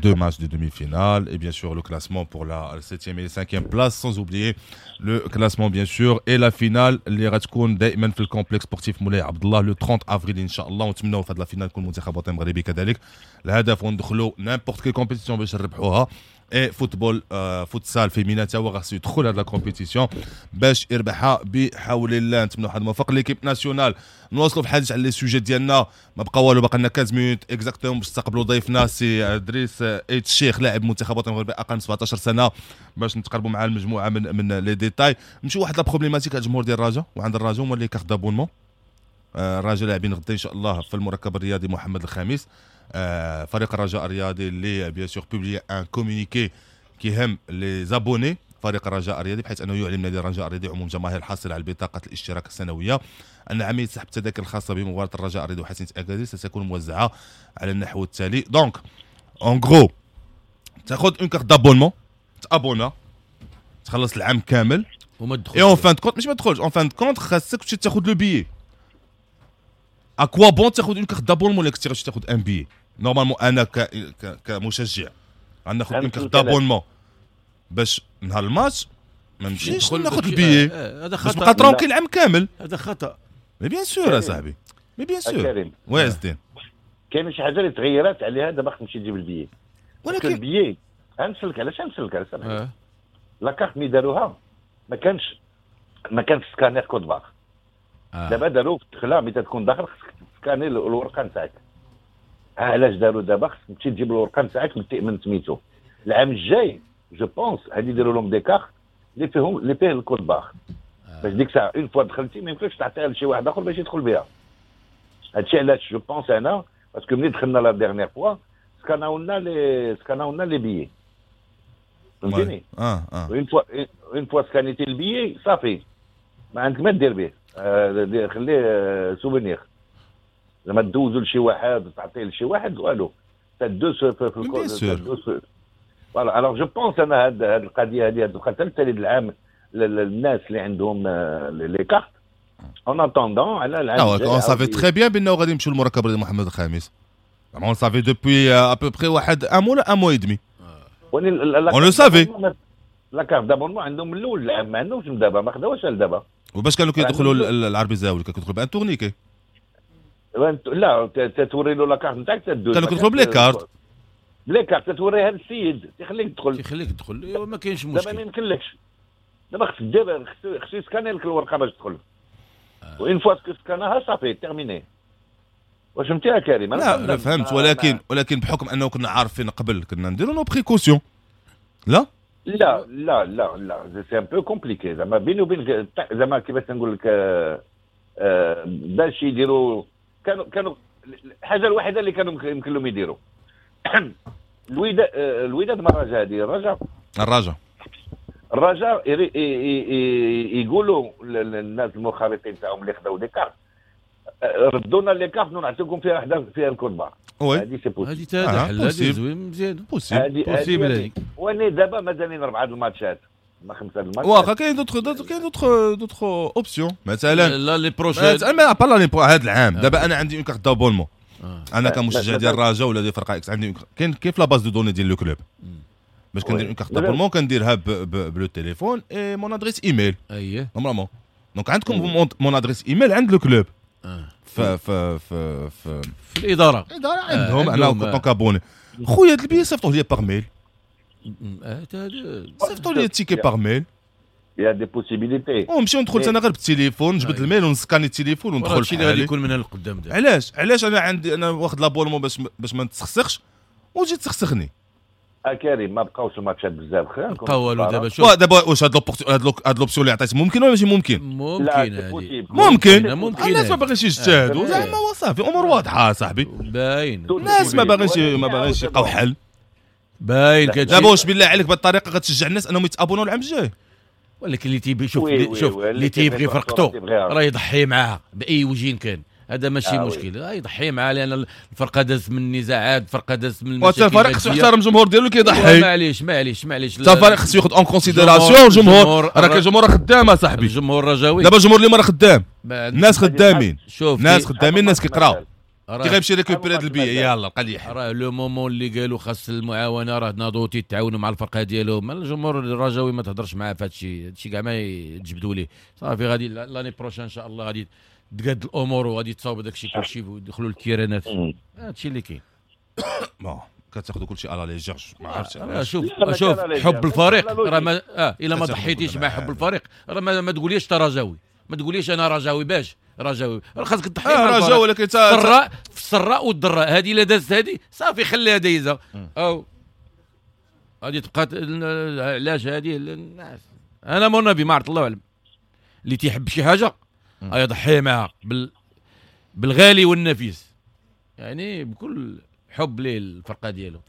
deux matchs de demi-finale et bien sûr le classement pour la 7e et 5e place، sans oublier le classement bien sûr et la finale اللي غتكون دائما في ال complexe sportif مولاي عبد الله le 30 افريل ان شاء الله. ونتمناو في هذه la finale يكون المنتخب الوطني المغربي كذلك. الهدف وندخلوا n'importe quelle compétition باش نربحوها، et football futsal féminin تا هو خاصو يدخل هاد la compétition باش يربحها بحول الله. نتمنوا حظ موفق l'équipe nationale. نواصلوا في الحديث على les sujets ديالنا، ما بقى والو، باقي لنا 15 minutes exactement باش نستقبلوا ضيفنا سي ادريس ايت الشيخ، لاعب منتخب الوطني المغربي اقل من 17 سنه، باش نتقربوا مع المجموعة من les détails. نمشيو واحد la problématique على الجمهور ديال الرجاء، وعند الرجاء هما les cartes d'abonnement. الرجاء لاعبين غدا ان شاء الله في المركب الرياضي محمد الخامس. فريق الرجاء الرياضي اللي bien sûr publie un communiqué كيهم les abonnés فريق الرجاء الرياضي، بحيث انه يعلن نادي الرجاء الرياضي عموم جماهير الحاصلة على بطاقة الاشتراك السنوية ان عملية سحب التذاكر الخاصة بمباراة الرجاء الرياضي وحسنيه اكادير ستكون موزعة على النحو التالي. donc en gros تاخذ une carte d'abonnement، تابونا، تخلص العام كامل وما تدخلش. et en fin de compte، مش ما تدخلش، en fin de compte خاصك تمشي تاخذ le billet. à quoi bon تاخذ une carte d'abonnement ولا كنتي غادي تاخذ un billet؟ normalement انا كمشجع غناخذ une carte d'abonnement باش نهار الماتش ما نمشيش ناخذ البيي، هذا خطا، باش نبقى tranquille العام كامل. هذا خطا. mais bien sûr اصاحبي، mais bien sûr. oui عز الدين. كاين شي حاجة اللي تغيرات عليها دابا، خصك تمشي تجيب البيي. ولكن البيي غنسلك علاش، غنسلك علاش. la carte ملي داروها ما كانش scanner code-barres. دابا داروا في الدخلة، ملي تكون داخل خصك تسكاني الورقة نتاعك. علاش داروا دابا خصك تمشي تجيب الورقة نتاعك من سميتو؟ العام الجاي je pense غادي يديروا لهم des cartes اللي فيه ال code-barres، باش ديك الساعة une fois دخلتي ما يمكنش تعطيها لشي واحد اخر باش يدخل بها. هادشي علاش je pense انا، parce que ملي دخلنا la dernière fois سكاناو لنا les billets، فهمتيني؟ اه. une fois سكانيتي ال billet صافي، ما عندك ما دير به، خليه souvenir. لما تدوزو لشي واحد، تعطيه لشي واحد، والو تدوس في الكود. voilà، alors je pense انا هاد القضية هذه تبقى حتى العام الناس اللي عندهم les cartes en attendant على العام. on savait très bien بانه غادي يمشيو للمركب محمد الخامس، on savait depuis à peu près واحد un mois، un mois et demi on le savait. la carte d'abonnement عندهم من الاول العام، ما عندهمش من دابا، ما خداوش لدابا. وباش كانوا كيدخلوا العربي زاوي؟ كانوا كيدخلوا ب un tourniquet؟ لا، توري له la carte نتاعك تدوز. كانوا كيدخلوا ب les cartes. ب les cartes توريها للسيد تيخليك تدخل. تيخليك تدخل، ما كاينش مشكل. دابا ما يمكنلكش، دابا خصك دير خصو يسكاني لك الورقة باش تدخل، و une fois سكاناها صافي terminé. واش فهمتي يا كريم؟ لا فهمت، ولكن بحكم انه كنا عارفين قبل كنا نديروا nos précautions. لا لا لا لا لا c'est un peu compliqué زعما بيني وبين زعما كيفاش نقول لك، باش يديروا كانوا الحاجة الوحيدة اللي كانوا يمكن لهم يديروا الوداد ما الرجاء هذه الرجاء يقولوا للناس المخالطين تاعهم اللي خداو des cartes ردونا les cartes نعطيكم فيها وحده فيها ال code-barres. هذه c'est possible، هذه تا حل، هذه زوين مزيان possible هذه. وانا دابا مازالين 4 الماتشات ما 5 الماتشات. واخا كاين d'autres كاين d'autres options مثلا l'année prochaine ما pas l'année هذا العام. دابا انا عندي une carte d'abonnement، انا كمشجع ديال الرجاء ولا ديال فرقه X عندي كاين كيف la base de données ديال le club باش كندير une carte d'abonnement كنديرها ب le téléphone et mon adresse email. اييه normalement donc عندكم mon adresse email عند le club في في في في الادارة عندهم انا en tant qu'abonné. خويا هاد البي صيفطوه لي par mail، صيفطوا لي ال ticket par mail. y a des possibilités ونمشيو ندخل انا غير بالتليفون، نجبد ال mail ونسكاني التليفون وندخل. هادشي اللي غادي يكون من القدام دابا. علاش انا عندي انا واخد l'abonnement باش ما نتسخسخش وتجي تسخسخني. كريم ما بقاوش الماتشات بزاف، خير بقاو والو دابا. شوف دابا واش هاد l'option اللي عطيت ممكن ولا ماشي ممكن؟ ممكن ممكن. الناس ما باغيش يجتهدوا زعما، صافي امور واضحة صاحبي، باين الناس ما باغينش يلقاو حل باين. دابا واش بالله عليك بهذه الطريقة غتشجع الناس انهم يتابونوا العام الجاي؟ ولكن اللي تيبغي شوف اللي تيبغي فرقته راه يضحي معاها باي وجه كان، هذا ماشي مشكل، يضحي معاه لان الفرقة دازت من النزاعات، الفرقة دازت من المشاكل. الفريق خصو يحترم الجمهور ديالو كيضحي. معليش حتى الفريق خصو ياخذ en considération الجمهور، راه كاين الجمهور خدام صاحبي، الجمهور الرجاوي دابا الجمهور اللي راه خدام، الناس خدامين، الناس خدامين، الناس كيقراو، كي غيمشي récupérer هاد البيع يلاه لقى لي حل. راه le moment اللي قالوا خاص المعاونه راه ناضوا تيتعاونوا مع الفرقة ديالهم. الجمهور الرجاوي ما تهضرش معاه في هادشي كاع ما يتجبدوا ليه صافي. غادي l'année prochaine ان شاء الله غادي تقاد الامور وغادي تصاوب داكشي كلشي ويدخلوا الكيرانات، هادشي اللي كاين. bon كتاخذوا كلشي à la légère، ما عرفتش. شوف حب الفريق راه ما الا ما ضحيتيش مع حب الفريق راه ما تقوليش انت رجاوي، ما تقوليش انا رجاوي باش رجاوي، راه خاصك تضحي مع الرجاء. ولكن السراء في السراء والضراء، هذه الا دازت هذه صافي خليها دايزه، او غادي تبقى علاش هذه الناس. انا mon avis ما عرفت الله اعلم، اللي تيحب شي حاجة يضحي معها بالغالي والنفيس، يعني بكل حب ليه الفرقة ديالو.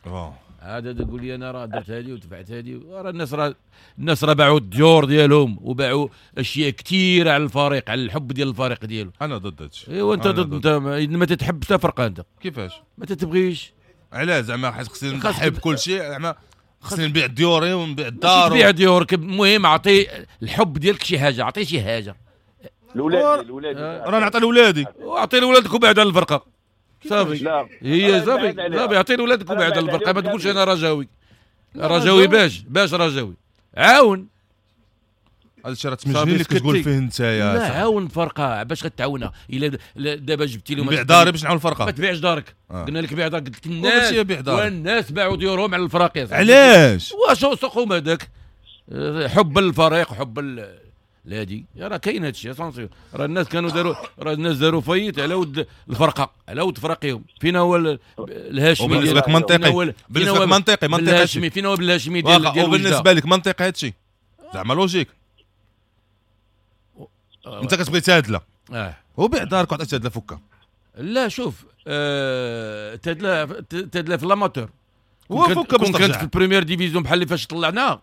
هذا تقول لي انا راه درت هذه ودفعت هذه، راه الناس راه باعوا الديور ديالهم وباعوا اشياء كثيرة على الفريق، على الحب ديال الفريق ديالو. انا ضد هادشي. ايوا انت ضد، انت ما تتحب حتى فرقه انت. كيفاش ما تتبغيش؟ علاش زعما؟ حيت خصني نضحي بكل شيء، زعما خصني نبيع ديوري ونبيع الدار. تبيع ديورك، المهم اعطي الحب ديالك شي حاجة، اعطي شي حاجة لولادي راه نعطي لولادي. واعطي لولادك وبعد على الفرقة صافي. هي صافي اعطي لولادك وبعد على الفرقة، ما تقولش انا رجاوي. رجاوي باش رجاوي عاون. هذا الشيء راه تمجني اللي كتقول فيه انت يا لا عاون فرقه باش غتعاونها. الا دابا جبتي لهم بيع داري باش نعاون الفرقة، ما تبيعش دارك. قلنا لك بيع دارك، قلت لك الناس والناس باعوا ديورهم على الفراقي. علاش؟ واش سوقهم هذاك حب الفريق حب لادي راه كاين هادشي attention. راه الناس كانوا داروا، راه الناس داروا faillite على ود الفرقة، على ود فرقيهم. فينا هو الهاشمي بالنسبة لك منطقي؟ بالنسبة لك منطقي الهاشمي فينا هو بالهاشمي ديال وبالنسبة لك منطقي هادشي زعما logique. انت كتبغي تادله هو بيع دارك وعطي تادله فكه. لا شوف تادله في l'amateur هو فكه باش كانت في ال première division بحال اللي فاش طلعنا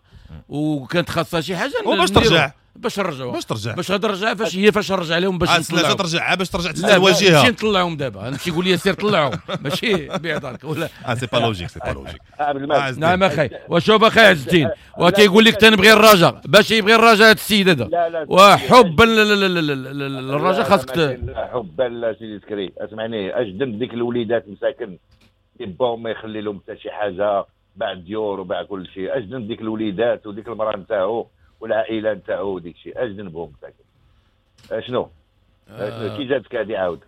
وكانت خاصها شي حاجة وباش ترجع باش نرجعوا باش غادي فاش هي فاش نرجع لهم باش نطلعوا. ترجع باش ترجع الواجهة ماشي نطلعهم دابا. انا ماشي يقول لي سير طلعهم ماشي بيع دارك ولا c'est pas logique c'est pas logique. نعم اخي وشوف اخي عز الدين وتيقول لك تنبغي الرجاء باش يبغي الرجاء هذا السيد هذا وحب الرجاء خاصك حب لا سيدي سكري. اسمعني اش ذنب ديك الوليدات مساكن باهم ما يخلي لهم حتى شي حاجة بعد ديور وباع كل شيء. اش ذنب ديك الوليدات وديك المراة نتاعو والعائلة نتاعو وديك الشيء؟ اش ذنبهم مساكن؟ شنو كي جاتك هذه عاود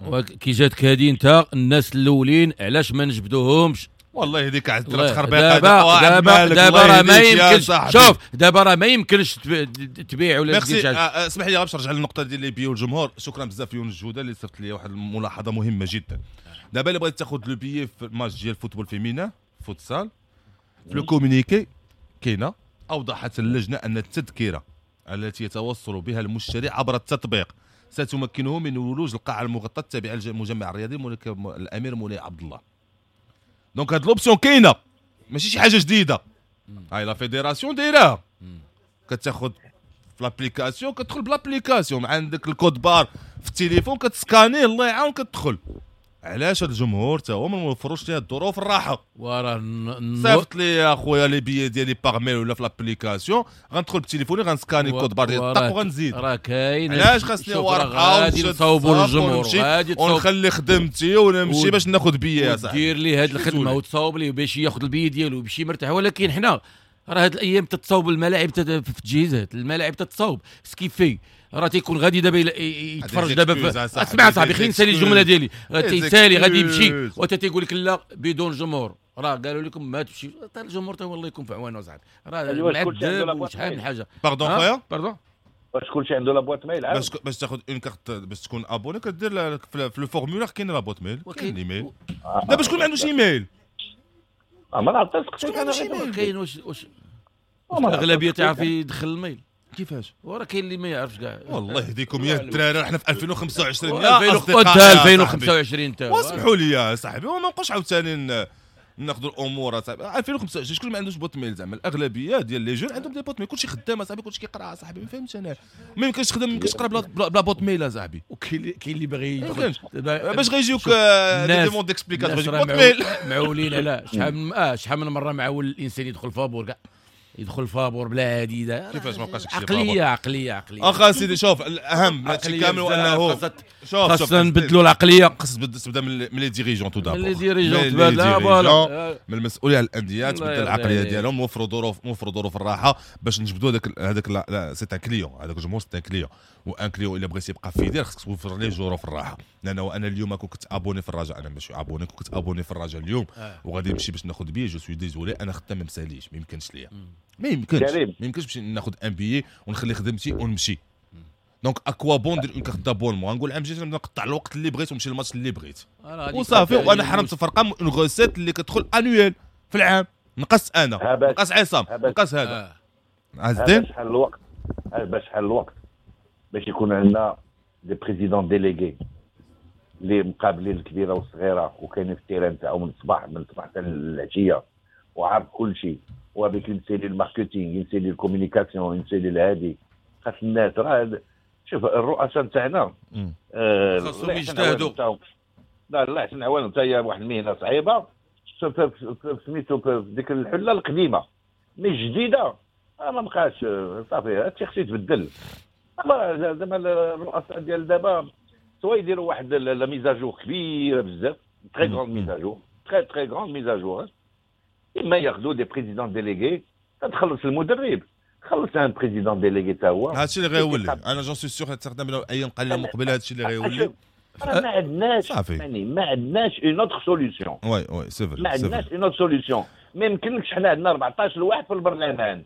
كي جاتك هذه انت الناس الاولين علاش ما نجبدوهمش؟ والله يهديك عاد تخربيق. دابا راه ما يمكنش. شوف دابا راه ما يمكنش تبيع ولا دير شي حاجة. اسمح لي باش نرجع للنقطة ديال les billets والجمهور. شكرا بزاف يونس جوده اللي صيفط لي واحد الملاحظة مهمة جدا. دابا الا بغيت تاخذ le billet في الماتش ديال ال football féminin futsal، في le communiqué كاينه اوضحت اللجنة ان التذكرة التي يتوصل بها المشتري عبر التطبيق ستمكنه من ولوج القاعة المغطاه التابعة للمجمع الرياضي الملك الامير مولاي عبد الله. donc هاد l'option كاينه، ماشي شي حاجة جديدة. هاي la fédération دايراها، كتاخذ في l'application، كتدخل ب l'application، عندك ال code-barres في التليفون كتسكانيه، الله يعاون كتدخل. علاش هاد الجمهور تا هو ما موفروش ليه الظروف الراحة؟ وراه صيفط لي يا خويا les billets ديالي par mail ولا في l'application، غندخل بتليفوني غنسكاني code-barres ديال الطاق وغنزيد. راه كاين. علاش خاصني ورقة غادي نصاوبوا للجمهور، غادي ونخلي خدمتي ونمشي باش ناخذ billet يا صاحبي. دير ليه هاد الخدمة وتصاوب ليه باش ياخذ البي ديالو باش مرتاح. ولكن حنا راه هاد الايام تتصاوب الملاعب في التجهيزات، الملاعب تتصاوب ce qui fait راه تيكون غادي دابا يتفرج دابا. اسمع صاحبي خليني نسالي الجملة ديالي. تيسالي غادي يمشي وتا تيقول لك لا بدون جمهور. راه قالوا لكم ما تمشي حتى الجمهور تا والله يكون في عوانة صاحبي. راه معذب وشحال من حاجة. pardon خويا pardon، واش كلشي عنده la boîte mail؟ باش تاخذ une carte باش تكون abonné كدير في le formulaire كاين la boîte mail، كاين الايميل. دابا شكون ما عندوش ايميل؟ ما نعرفش شكون كاين. واش الاغلبية تعرف يدخل ال mail كيفاش؟ وراه كاين اللي ما يعرفش كاع. والله يهديكم يا الدراري، حنا في 2025 يا اصدقائي، 2025 تا واسمحوا لي يا صاحبي وما نبقاوش عاوتاني ناخذوا الامور صاحبي. 2025 شكون ما عندوش boîte mail؟ زعما الاغلبية ديال les jeunes عندهم des boîtes mail، كلشي خدام صاحبي، كلشي كيقرا صاحبي. ما فهمتش انا، ما يمكنش تخدم، ما يمكنش تقرا بلا boîte mail صاحبي. وكاين اللي باغي يدخل باش غيجيوك des demandes d'explications boîte mail معولين على شحال من مرة معول الانسان يدخل فابور كاع، يدخل فابور بلا عديدة. كيفاش ما بقاش عقلية عقلية عقلية. اخا سيدي شوف، الاهم هادشي كامل هو انه شوف خاصنا نبدلوا العقلية. خاص تبدا من les dirigeants tout d'abord، من les dirigeants تبدا voilà، من المسؤولية على الاندية، تبدل العقلية ديالهم، وفروا ظروف، وفروا ظروف الراحة باش نجبدوا هذاك c'est un client، هذاك الجمهور c'est un client، و un client الا بغيتي يبقى fidèle خاصك توفر ليه ظروف الراحة. لانه انا اليوم كنت abonné في الرجاء، انا ماشي abonné، كنت abonné في الرجاء اليوم وغادي نمشي باش ناخذ billet، je suis désolé انا خدام ما مساليش، ما يمكنش ليا، ما يمكنش باش ناخذ un billet ونخلي خدمتي ونمشي. donc à quoi bon ندير une carte d'abonnement؟ غنقول عام جيت نقطع الوقت اللي بغيت ونمشي للماتش اللي بغيت وصافي. وانا حرمت الفرقة une recette اللي كتدخل annuelle في العام. نقص انا، نقص عصام، نقص هذا عز الدين. شحال الوقت باش شحال الوقت باش يكون عندنا des présidents délégués اللي مقابلين الكبيرة والصغيرة وكاينين في ال terrain تاعهم من الصباح حتى العشية وعارف كل شيء، وهذيك يمشي لل marketing، يمشي لل communication، يمشي للهادي. خاص الناس راه شوف الرؤساء تاعنا خاصهم يجتهدوا. لا الله يحسن عوانهم، حتى هي واحد المهنة صعيبة سميتو في ديك الحلة القديمة mais الجديدة ما بقاش صافي. هادشي خصو يتبدل. زعما الرؤساء ديال دابا سوا يديروا واحد la mise à jour كبيرة بزاف، très grande mise à jour، très très grande mise à jour. اما ياخذوا des présidents délégués، تخلص المدرب، خلص un président délégué تا هو. هادشي اللي غيولي، انا j'en suis sûr تخدم ايام قليله مقبله هادشي اللي غيولي. راه ما عندناش يعني ما عندناش une autre solution. oui oui c'est vrai، ما عندناش une autre solution. ما يمكنش حنا عندنا 14 لواحد في البرلمان،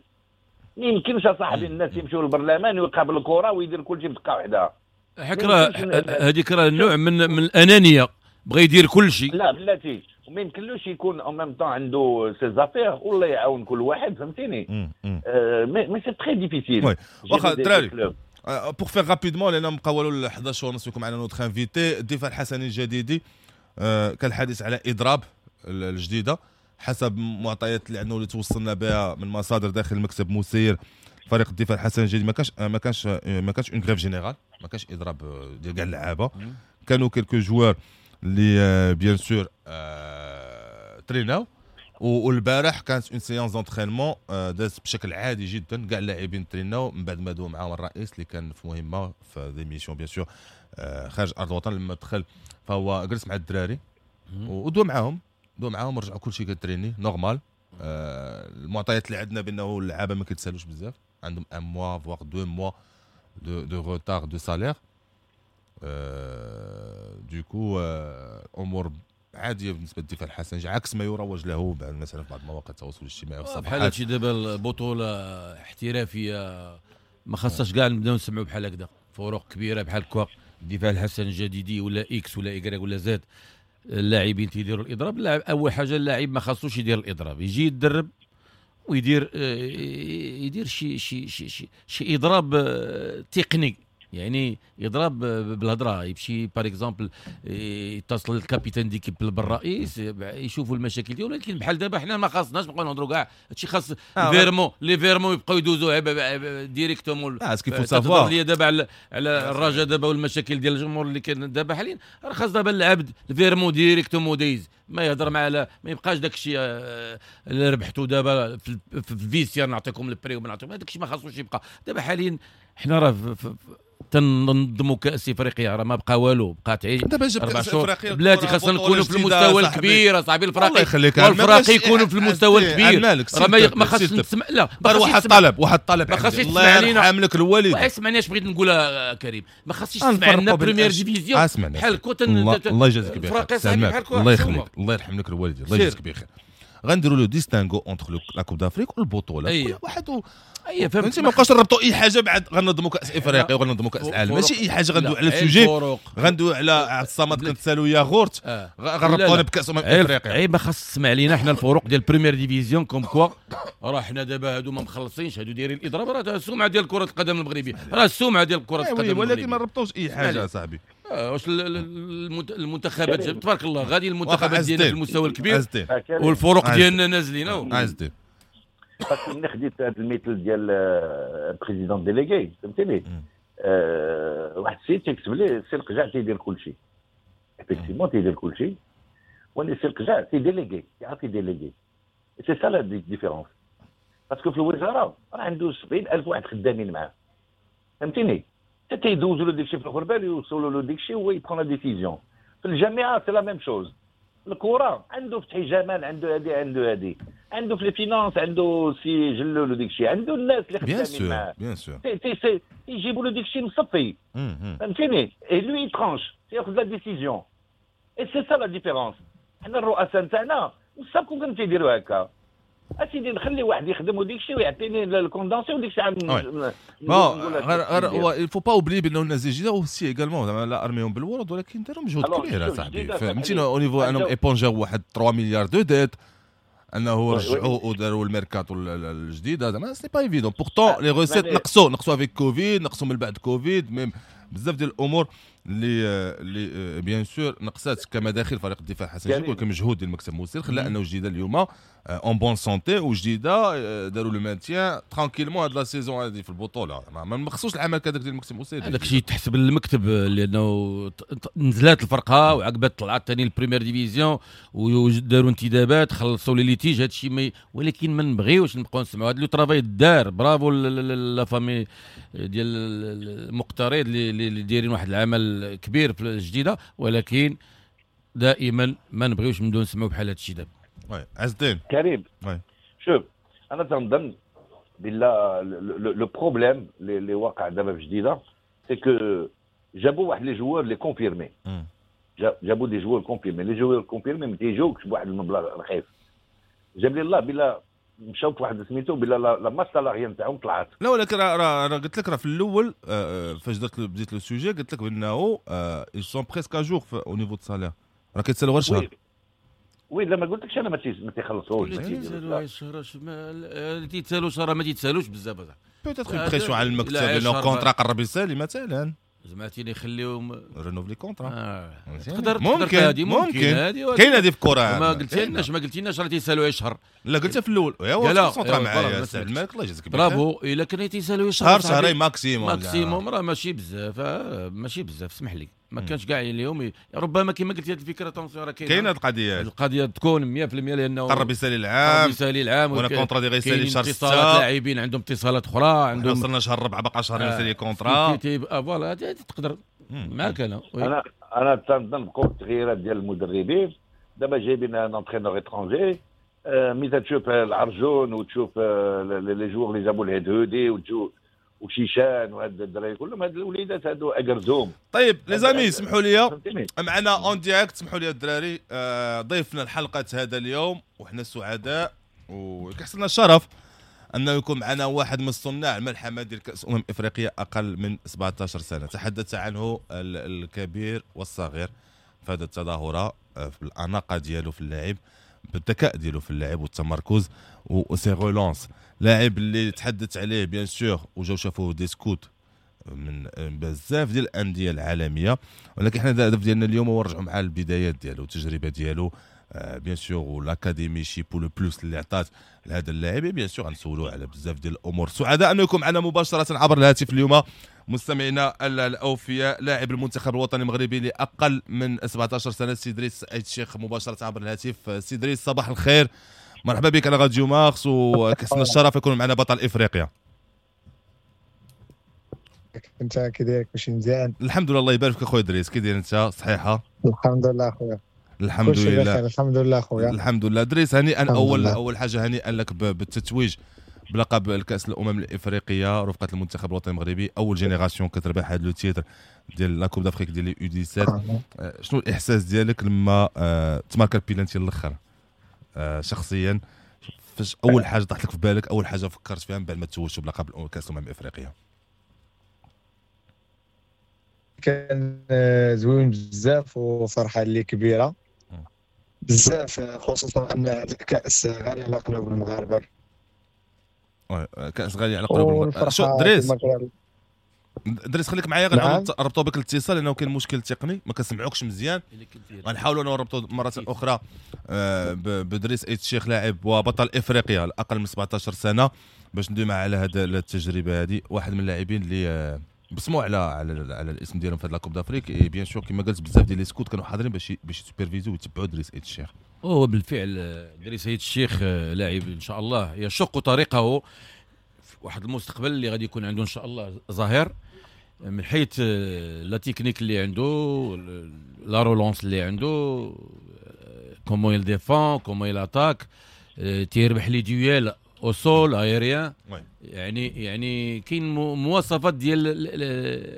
ما يمكنش اصاحبي الناس يمشيو للبرلمان ويقابل الكره ويدير كل شيء بدقة واحدة. حك راه هذيك راه نوع من الانانية، بغى يدير كل شيء. لا بلاتي، وما يمكنلوش يكون en même temps عنده ses affaires والله يعاون كل واحد، فهمتيني؟ mais c'est très difficile. oui واخا الدراري pour faire rapidement لان بقاو والو 11:30 يكون معنا notre invité الدفاع الحسني الجديدي. كان الحديث على اضراب الجديدة حسب معطيات اللي عندنا واللي توصلنا بها من مصادر داخل المكتب مسير فريق الدفاع الحسني الجديد. ما كانش une grève générale، ما كانش اضراب ديال كاع اللعابه. كانوا quelques joueurs اللي bien sûr تريناو، والبارح كانت une séance d'entraînement دازت بشكل عادي جدا، كاع اللاعبين تريناو من بعد ما دوا معاهم الرئيس اللي كان في مهمة في des missions bien sûr خارج ارض الوطن. لما دخل فهو جلس مع الدراري ودوا معاهم، رجعوا كلشي كتريني normal. المعطيات اللي عندنا بانه اللعابه ما كيتسالوش بزاف، عندهم un mois voire 2 mois de retard de salaire. du coup امور عادية بالنسبة للدفاع الحسني، عكس ما يروج له مثلا في بعض مواقع التواصل الاجتماعي والصفحات. بحال هادشي دابا البطولة احترافية ما خاصهاش كاع نبداو نسمعوا بحال هكذا، فروق كبيرة بحال كوا الدفاع الحسن الجديدي ولا X ولا Y ولا Z. اللاعبين تيديروا الاضراب. اللاعب اول حاجة اللاعب ما خاصوش يدير الاضراب، يجي يتدرب ويدير يدير شي شي شي شي, شي اضراب تقني، يعني يضرب بالهضره، يمشي par exemple يتصل ال capitaine d'équipe بالرئيس، يشوفوا المشاكل ديالو. ولكن بحال دابا حنا ما خاصناش نبقاو نهضروا كاع هادشي، خاص virement، les virements يبقاو يدوزوا directement. ce qu'il faut savoir لي دابا على الرجاء دابا والمشاكل ديال الجمهور اللي كاين دابا حاليا، راه خاص دابا العبد ال virement directement دايز، ما يهضر مع، ما يبقاش داك الشيء اللي ربحتو دابا في ال vestiaire نعطيكم ال prix وما نعطيكم، هذاك الشيء ما خاصوش يبقى. دابا حاليا حنا راه تنظموا كاس افريقيا، راه ما بقى والو، بقات عيش دابا جاب كاس افريقيا بلاتي، خاصنا نكونوا في المستوى الكبير اصاحبي. الفراقي والفراقي يكونوا في المستوى الكبير، راه ما خاصش نسمع، لا واحد الطلب، واحد الطلب، ما خاصش الله يرحم لك الوالد، اسمعني اش بغيت نقول كريم، ما خاصش تسمع لنا première division بحال كوت. الله يجازيك بخير، الله يخليك، الله يرحم لك الوالد، الله يجازيك بخير. غنديروا le distinguo entre la Coupe d'Afrique والبطوله، كل واحد اي فهمتي، ما بقاش نربطوا اي حاجة بعد غنظموا كاس افريقيا وغنظموا كاس العالم، ماشي اي حاجة غندوي على ال sujet، غندوي على عبد الصمد كنتسالوا ياغورت غنربطونا بكاس افريقيا. عيب، ما خاص تسمع لينا حنا الفروق ديال première division comme quoi راه حنا دابا هادو ما مخلصينش، هادو دايرين الاضراب، راه السمعة ديال كره القدم المغربية، راه السمعة ديال كره القدم المغربية، ولكن ما نربطوش اي حاجة صاحبي. واش المنتخبات تبارك الله غادي المنتخبات ديالنا في المستوى الكبير والفروق ديالنا نازلين. عز الدين parce que ملي خديت هذا المثل ديال président délégué، فهمتيني، واحد السيد تيكتب لي سي القجع تيدير كلشي، effectivement تيدير كلشي، ولكن سي القجع تي déléguer، يعرف ي déléguer، c'est ça la différence. parce que في الوزارة راه عنده 70,000 واحد خدامين معاه، فهمتيني، حتى تيدوزوا له داكشي في الغربال، يوصلوا له داكشي وهو ي prend la décision. في الجامعة c'est la même chose، الكره عنده فتحي جمال، عنده هادي، عنده هادي، عنده في ال finances عنده سي جلول وديك الشيء، عنده الناس اللي خدامين معاه bien sûr يجيبوا له ديك الشيء مصفي، فهمتيني، et lui tranche، تياخذ la décision، et c'est ça la différence. حنا الرؤساء نتاعنا مصاب كون تيديروا هكا، اسيدي نخلي واحد يخدم وديك الشيء ويعطيني ال condensé وديك الشيء. bon غير هو il faut pas oublier بانه الناس الجديدة aussi également زعما لا ارميهم بالورد، ولكن داروا مجهود كبير اصاحبي، فهمتيني، au niveau انهم épongeaw واحد 3 مليار de dettes، انه رجعوا وداروا الميركاتو الجديدة، زعما c'est pas évident. pourtant les recettes نقصوا avec كوفيد، نقصوا من بعد كوفيد، même بزاف ديال الامور اللي bien sûr نقصات كمداخل فريق الدفاع الحسن الجديد، ولكن مجهود ديال المكتب المسير خلى انه جديدة اليوم en bonne santé، وجديدة داروا le maintien tranquillement هاد la saison هادي في البطولة، ما مخصوش العمل كذاك ديال المكتب المسير. هذاك الشيء تحسب للمكتب لانه نزلات الفرقة وعقبات طلعت ثاني ال première division وداروا انتدابات، خلصوا les litiges، هذا الشيء، ولكن ما نبغيوش نبقاو نسمعوا هذا le travail دار. bravo la famille ديال المقترض اللي دايرين واحد العمل كبير في الجديدة، ولكن دائما ما نبغيوش نبداو نسمعوا بحال هذا الشيء دابا. oui عز الدين كريم، شوف انا تنظن بالله le problème اللي واقع دابا في جديدة c'est que جابوا واحد les joueurs les confirmés، جابوا des joueurs confirmés، les joueurs confirmés ما تيجوكش بواحد المبلغ رخيص. جاب لي الله بلا مشاو في واحد سميتو بلا la masse salariale نتاعهم طلعت. لا ولكن راه قلت لك راه في الاول فاش درت بديت le sujet قلت لك بانه ils sont presque à jour au niveau de salaire، راه كيتسالوا غير شهر. oui لا ما قلتلكش انا ما تيخلصوش، ما تيتسالوش، راه ما تيتسالوش بزاف. peut-être pression على المكتب لانه contrat قرب يسالي مثلا، زعما يخليهم renouveler contrat. تقدر ممكن هذه، ممكن كاين هذه في الكره. ما قلتيلناش راه تيسالوا اي شهر. لا قلتها في الاول، ايوا concentra معايا سي الملك الله يجازيك بخير. برافو، الا كان تيسالوا شهر شهرين maximum، maximum راه ماشي بزاف، ماشي بزاف، اسمح لي ما كانش كاع اليوم. ربما كما قلت هذه الفكرة attention راه كاينه القضية، القضية تكون 100% لانه قرب يسالي العام، ولا contrat دي غيسالي شهر 6، اتصالات لاعبين عندهم اتصالات اخرى، عندهم وصلنا شهر 4 بقى شهر يسالي contrat voilà تقدر معاك. انا تنظن بقوا التغييرات ديال المدربين دابا جايبين un entraîneur étranger، ملي تشوف العرجون وتشوف les joueurs اللي جابوا الهدهودي وتشوف وشيشان وهاد الدراري كلهم، هاد الوليدات هادو اجرزوم. طيب les amis سمحوا لي معنا en direct، سمحوا لي الدراري، ضيفنا الحلقة هذا اليوم وحنا سعداء وكيحصلنا الشرف انه يكون معنا واحد من صناع الملحمة ديال كاس افريقيا اقل من 17 سنة، تحدث عنه الكبير والصغير في هذه التظاهرة. في الاناقة ديالو في اللعب، بالذكاء ديالو في اللعب والتمركز و ses relances. لاعب اللي تحدث عليه bien sûr وجاو شافوه des scouts من بزاف ديال الاندية العالمية، ولكن حنا الهدف ديالنا اليوم هو نرجعوا مع البدايات ديالو والتجربة ديالو bien sûr و l'académie شيبو le plus اللي عطات لهذا اللاعب. bien sûr غنسولوه على بزاف ديال الامور. سعداء انه يكون معنا مباشرة عبر الهاتف اليوم مستمعينا الاوفياء لاعب المنتخب الوطني المغربي لاقل من 17 سنة سي دريس ايت الشيخ مباشرة عبر الهاتف. سي دريس صباح الخير، مرحبا بك على راديو مارس، وكسنا الشرف يكون معنا بطل افريقيا. انت كي داير؟ كلشي مزيان؟ الحمد لله، الله يبارك فيك اخويا دريس. كي داير انت؟ صحيحه؟ الحمد لله اخويا. الحمد لله. الحمد لله خويا. الحمد لله. دريس هنيئا، اول حاجة هنيئا لك بالتتويج بلقب الكاس الامم الافريقية رفقه المنتخب الوطني المغربي، اول génération كتربح هذا le titre ديال la Coupe d'Afrique ديال les U17. شنو الاحساس ديالك لما تماركا البيلانتي الاخر؟ شخصيا فاش اول حاجة طاحت لك في بالك، اول حاجة فكرت فيها من بعد ما توجت بلقب كاس الامم الافريقية؟ كان زوين بزاف وفرحه اللي كبيرة بزاف، خصوصا ان الكاس غالي على قلوب المغاربة. كاس غالي على قلوب المغاربة. شو دريس، دريس خليك معايا، غنربطوا بك الاتصال لانه كاين مشكل تقني ما كنسمعوكش مزيان. غنحاولوا نربطوا مرة اخرى بدريس ايت الشيخ لاعب وبطل افريقيا الاقل من 17 سنة باش ندوي معاه على هذه التجربة هذه. واحد من اللاعبين اللي بصموا على على على الاسم ديالهم في هاد la Coupe d'Afrique. bien sûr كما قلت بزاف ديال les scouts كانوا حاضرين باش superviser ويتبعوا دريس ايت الشيخ. هو بالفعل دريس ايت الشيخ لاعب ان شاء الله يشق طريقه في واحد المستقبل اللي غادي يكون عنده ان شاء الله ظاهر، من حيث la technique اللي عنده، la relance اللي عنده، comment il défend، comment il attaque، تيربح les duels au sol aérien. يعني كاين مواصفات ديال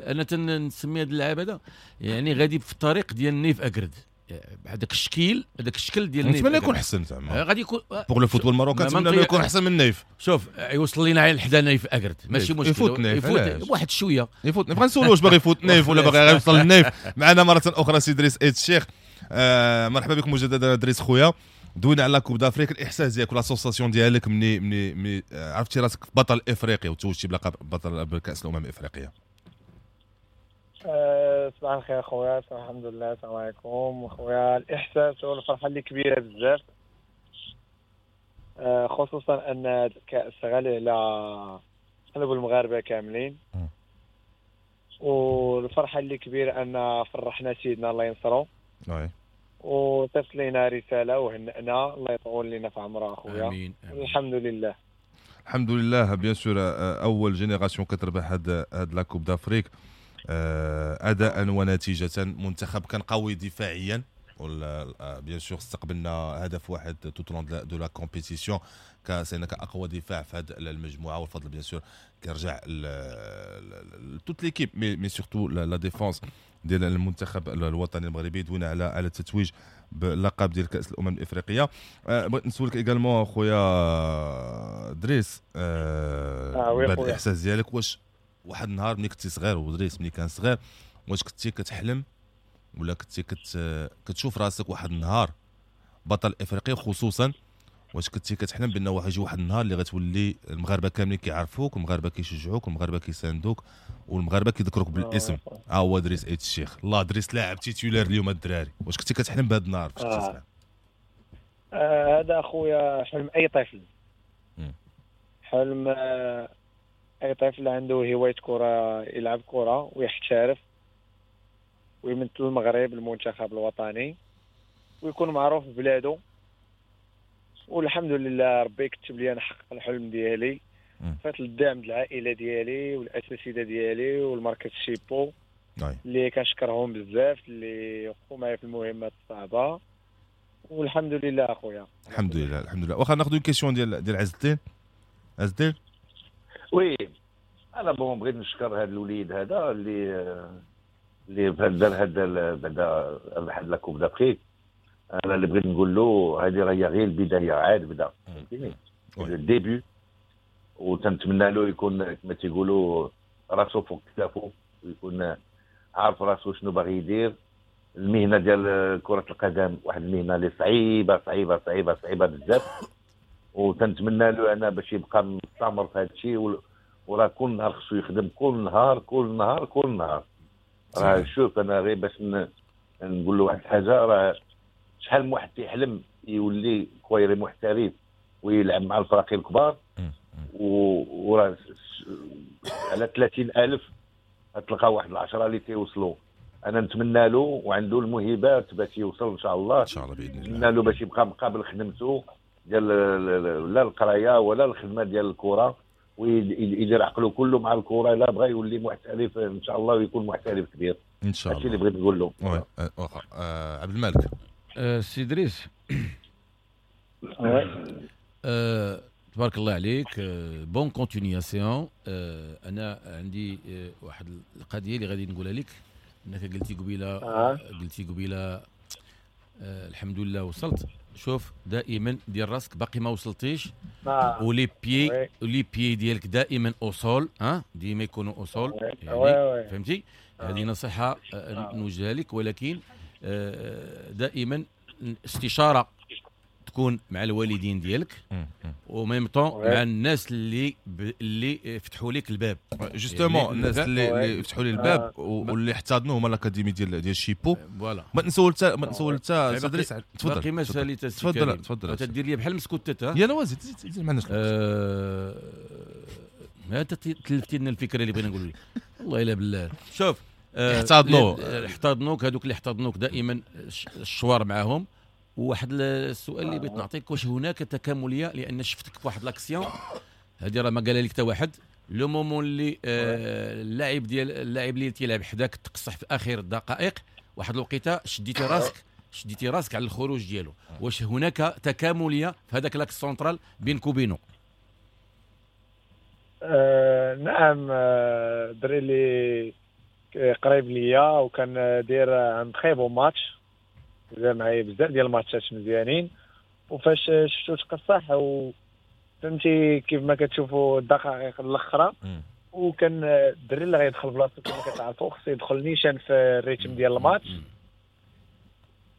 انا تنسمي هذا اللاعب هذا يعني غادي في الطريق ديال نيف اكرد، بهذاك الشكل، هذاك الشكل ديال نيف. نتمنى يكون احسن زعما، غادي يكون pour le football marocain، نتمنى يكون احسن من نيف. شوف يوصل لينا على حدا نيف اكرد ماشي مشكل، يفوت نيف، يفوت واحد شوية، يفوت نيف. غنسولو واش باغي يفوت نيف ولا باغي يوصل للنيف. معنا مرة اخرى سي دريس ايت الشيخ، مرحبا بك مجددا دريس خويا. دوينا على Coupe d'Afrique، الاحساس ديالك ولا sensation ديالك مني عرفتي راسك بطل افريقيا وتوجتي بلقب بطل بكاس الامم الافريقية؟ صباح الخير خويا، الحمد لله، السلام عليكم خويا. الاحساس والفرحه اللي كبيرة بزاف، خصوصا ان الكاس غالي على قلوب المغاربة كاملين، والفرحه اللي كبيرة ان فرحنا سيدنا الله ينصرو وتصل لنا رسالة وهنأنا، الله يطول لنا في عمره اخويا. امين. الحمد لله، الحمد لله. bien sûr اول génération كتربح هاد la Coupe d'Afrique اداء ونتيجة. منتخب كان قوي دفاعيا، bien sûr استقبلنا هدف واحد tout au long de la compétition، كاسينا كاقوى دفاع في هذه المجموعة، والفضل bien sûr كيرجع toute l'équipe mais surtout la défense ديال المنتخب الوطني المغربي. دوينا على التتويج باللقب ديال كاس الامم الافريقية. بغيت نسولك également خويا دريس، بعد الاحساس ديالك، واش واحد النهار ملي كنتي صغير، ودريس ملي كان صغير، واش كنتي كتحلم ولا كنتي كتشوف راسك واحد النهار بطل افريقيا؟ خصوصا واش كنتي كتحلم بان واحد يجي واحد النهار اللي غتولي المغاربة كاملين كيعرفوك، والمغاربة كيشجعوك، والمغاربة كيساندوك، والمغاربة كيذكروك بالاسم، ها هو دريس ايت الشيخ، الله دريس لاعب titulaire اليوم الدراري. واش كنتي كتحلم بهذا النهار فاش كنتي صغير؟ هذا خويا حلم اي طفل، حلم اي طفل عنده هواية كره، يلعب كره ويحترف ويمثل المغرب المنتخب الوطني ويكون معروف ببلاده. والحمد لله ربي كتب لي نحقق الحلم ديالي، فات الدعم ديال العائلة ديالي والاساتذه ديالي والمركز شيبو اللي كنشكرهم بزاف، اللي وقفوا معايا في المهمات الصعبة، والحمد لله اخويا. الحمد لله، الحمد لله. واخا ناخذ question ديال عز الدين. عز الدين، oui انا bon بغيت نشكر هذا الوليد هذا اللي دار هذا بعدا ربح la Coupe d'Afrique. انا اللي بغيت نقول له هذه راه غير البداية، عاد بدا، فهمتيني، ال début، وتنتمنى له يكون كما تيقولوا راسو فوق كتافو، ويكون عارف راسو شنو باغي يدير. المهنة ديال كره القدم واحد المهنة اللي صعيبة صعيبة صعيبة صعيبة بزاف، وتنتمنى له انا باش يبقى مستمر في هذا الشيء، وراه كل نهار خصو يخدم، كل نهار كل نهار كل نهار. راه شوف انا غير باش نقول له واحد الحاجة، راه شحال من واحد تيحلم يولي كويري محترف ويلعب مع الفراقي الكبار، وراه على 30,000 تلقى واحد 10 اللي تيوصلوا. انا نتمنى له وعنده الموهبات باش يوصل ان شاء الله، ان شاء الله باذن الله. نتمنى له باش يبقى مقابل خدمته ديال لا القراية ولا الخدمة ديال الكره، ويدير عقله كله مع الكره، الا بغى يولي محترف ان شاء الله ويكون محترف كبير ان شاء الله. هادشي اللي بغيت نقول له. عبد الملك. سي دريس، تبارك الله عليك، bonne continuation. انا عندي واحد القضية اللي غادي نقولها لك، انك قلتي قبيلة قلتي قبيلة الحمد لله وصلت. شوف دائما دير راسك باقي ما وصلتيش، و les pieds و les pieds ديالك دائما au sol، ها ديما يكونوا au sol، يعني فهمتي؟ هذه نصيحة نوجهها لك، ولكن دائما استشاره تكون مع الوالدين ديالك و même temps مع الناس اللي فتحوا لك الباب. justement الناس اللي فتحوا لي الباب واللي احتضنوا هما l'académie ديال شيبو. voilà ما تنسول حتى دريس، تفضل. باقي ما ساليت. تفضل تفضل. تدير لي بحال مسكوتات. يلا وزيد زيد، ما عندناش ما تلفتي لنا الفكرة اللي بغينا نقول لك. والله الا بالله. شوف احتضنوك هذوك اللي احتضنوك دائما الشوار معاهم. وواحد السؤال اللي بغيت نعطيك، واش هناك تكامليه؟ لان شفتك في واحد l'action هذه راه ما قالها لك حتى واحد، le moment اللي اللاعب ديال اللاعب اللي تيلعب حداك تقصح في اخر الدقائق، واحد الوقيته شديتي راسك على الخروج ديالو. واش هناك تكامليه في هذاك l'axe central بينك وبينه؟ نعم، الدري اللي قريب ليا وكان داير un très bon match، دار معايا بزاف ديال الماتشات مزيانين، وفاش شفتو تقصح وفهمتي كيف ما كتشوفوا الدقائق الاخرى، وكان الدري اللي غيدخل بلاصتو كما كتعرفوا خصو يدخل نيشان في ال rythme ديال الماتش،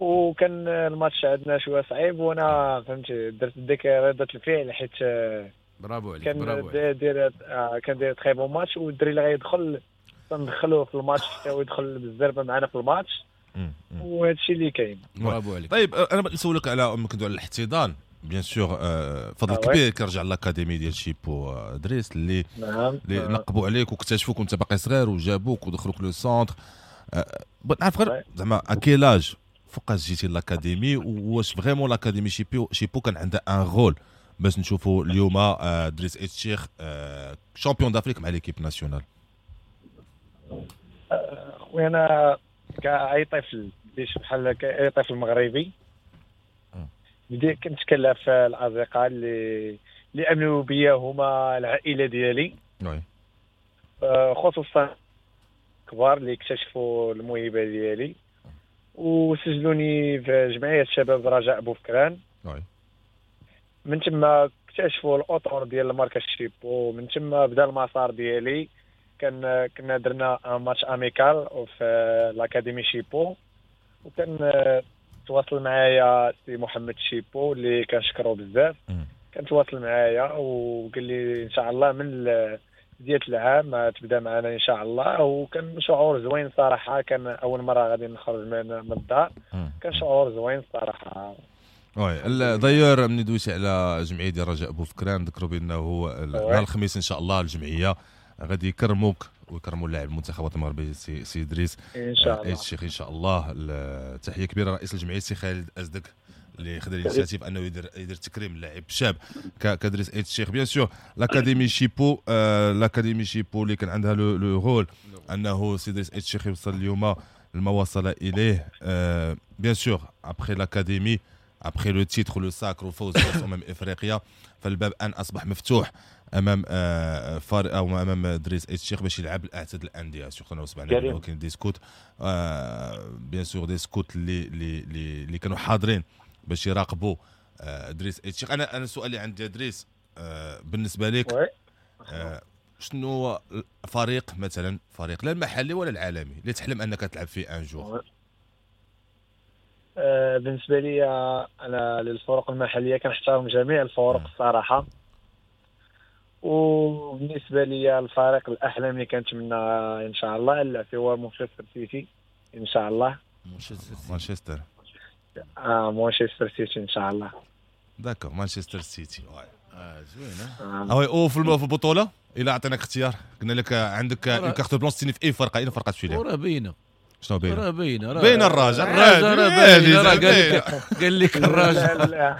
وكان الماتش عندنا شوية صعيب، وانا فهمتي درت ديك ردة الفعل حيت برافو عليك، كان داير كان داير très bon match، والدري اللي غيدخل تندخلوه في الماتش حتى هو يدخل بالزربه معنا في الماتش، وهذا الشيء اللي كاين. برافو عليك. طيب انا بغيت نسولك على كندوي على الاحتضان، bien sûr فضل كبير كيرجع l'académie ديال شيبو دريس اللي اللي نقبوا عليك واكتشفوك وانت باقي صغير وجابوك ودخلوك le centre. بغيت نعرف غير زعما à quel âge فوقاش جيتي l'académie، واش vraiment l'académie شيبو كان عندها un rôle باش نشوفوا اليوم دريس ايت الشيخ champion d'Afrique مع l'équipe nationale؟ خويا انا كأي طفل بحال كأي طفل مغربي بديت كنت كنلعب في الأصدقاء اللي أمنوا بيا هما العائلة ديالي، خصوصا كبار اللي اكتشفوا الموهبة ديالي وسجلوني في جمعية شباب رجاء بوفكران. من تما اكتشفوا الأطر ديال المركز شيبو، من تما بدا المسار ديالي. كنا درنا match amical في l'académie شيبو، وكان تواصل معايا سي محمد شيبو اللي كنشكرو بزاف، كان تواصل معايا وقال لي ان شاء الله من بداية العام تبدا معنا ان شاء الله، وكان شعور زوين صراحة. كان اول مرة غادي نخرج من الدار، كان شعور زوين صراحة. oui d'ailleurs ملي دويتي على جمعية ديال رجاء بوفكران، ذكروا بانه نهار الخميس ان شاء الله الجمعية غادي يكرموك ويكرموا اللاعب المنتخب المغربي سي دريس ان شاء الله الشيخ ان شاء الله. تحية كبيرة رئيس الجمعية سي خالد ازدك اللي خدا l'initiative انه يدير تكريم لاعب شاب كدريس ايت الشيخ. bien sûr l'académie شيبو، l'académie شيبو اللي كان عندها le rôle انه سي دريس ايت الشيخ يوصل اليوم لما وصل اليه. bien sûr après l'académie، après le titre، le sacre وفوز كاس افريقيا، فالباب ان اصبح مفتوح امام فار او امام دريس ايت الشيخ باش يلعب الاعتاد الاندية. surtout انه سمعنا انه كاين des scouts، bien sûr des scouts اللي اللي كانوا حاضرين باش يراقبوا دريس ايت الشيخ. انا السؤال اللي عندي دريس، بالنسبة لك شنو فريق مثلا، فريق لا المحلي ولا العالمي اللي تحلم انك تلعب فيه un jour؟ بالنسبة لي انا للفرق المحلية كنحترم جميع الفرق الصراحة. وبالنسبة لي الفريق الاحلام اللي كنتمنى ان شاء الله نلعب فيه هو مانشستر سيتي ان شاء الله. مانشستر مانشستر سيتي ان شاء الله. d'accord، مانشستر سيتي. زوينة. oui، وفي البطولة الا عطيناك اختيار، قلنا لك عندك carte blanche تسيني في اي فرقه، اي فرقه تمشي لها؟ وراه باينة. شنو باينة؟ راه باينة، باينة الرجاء. الرجاء باينة، راه قال لك الرجاء. لا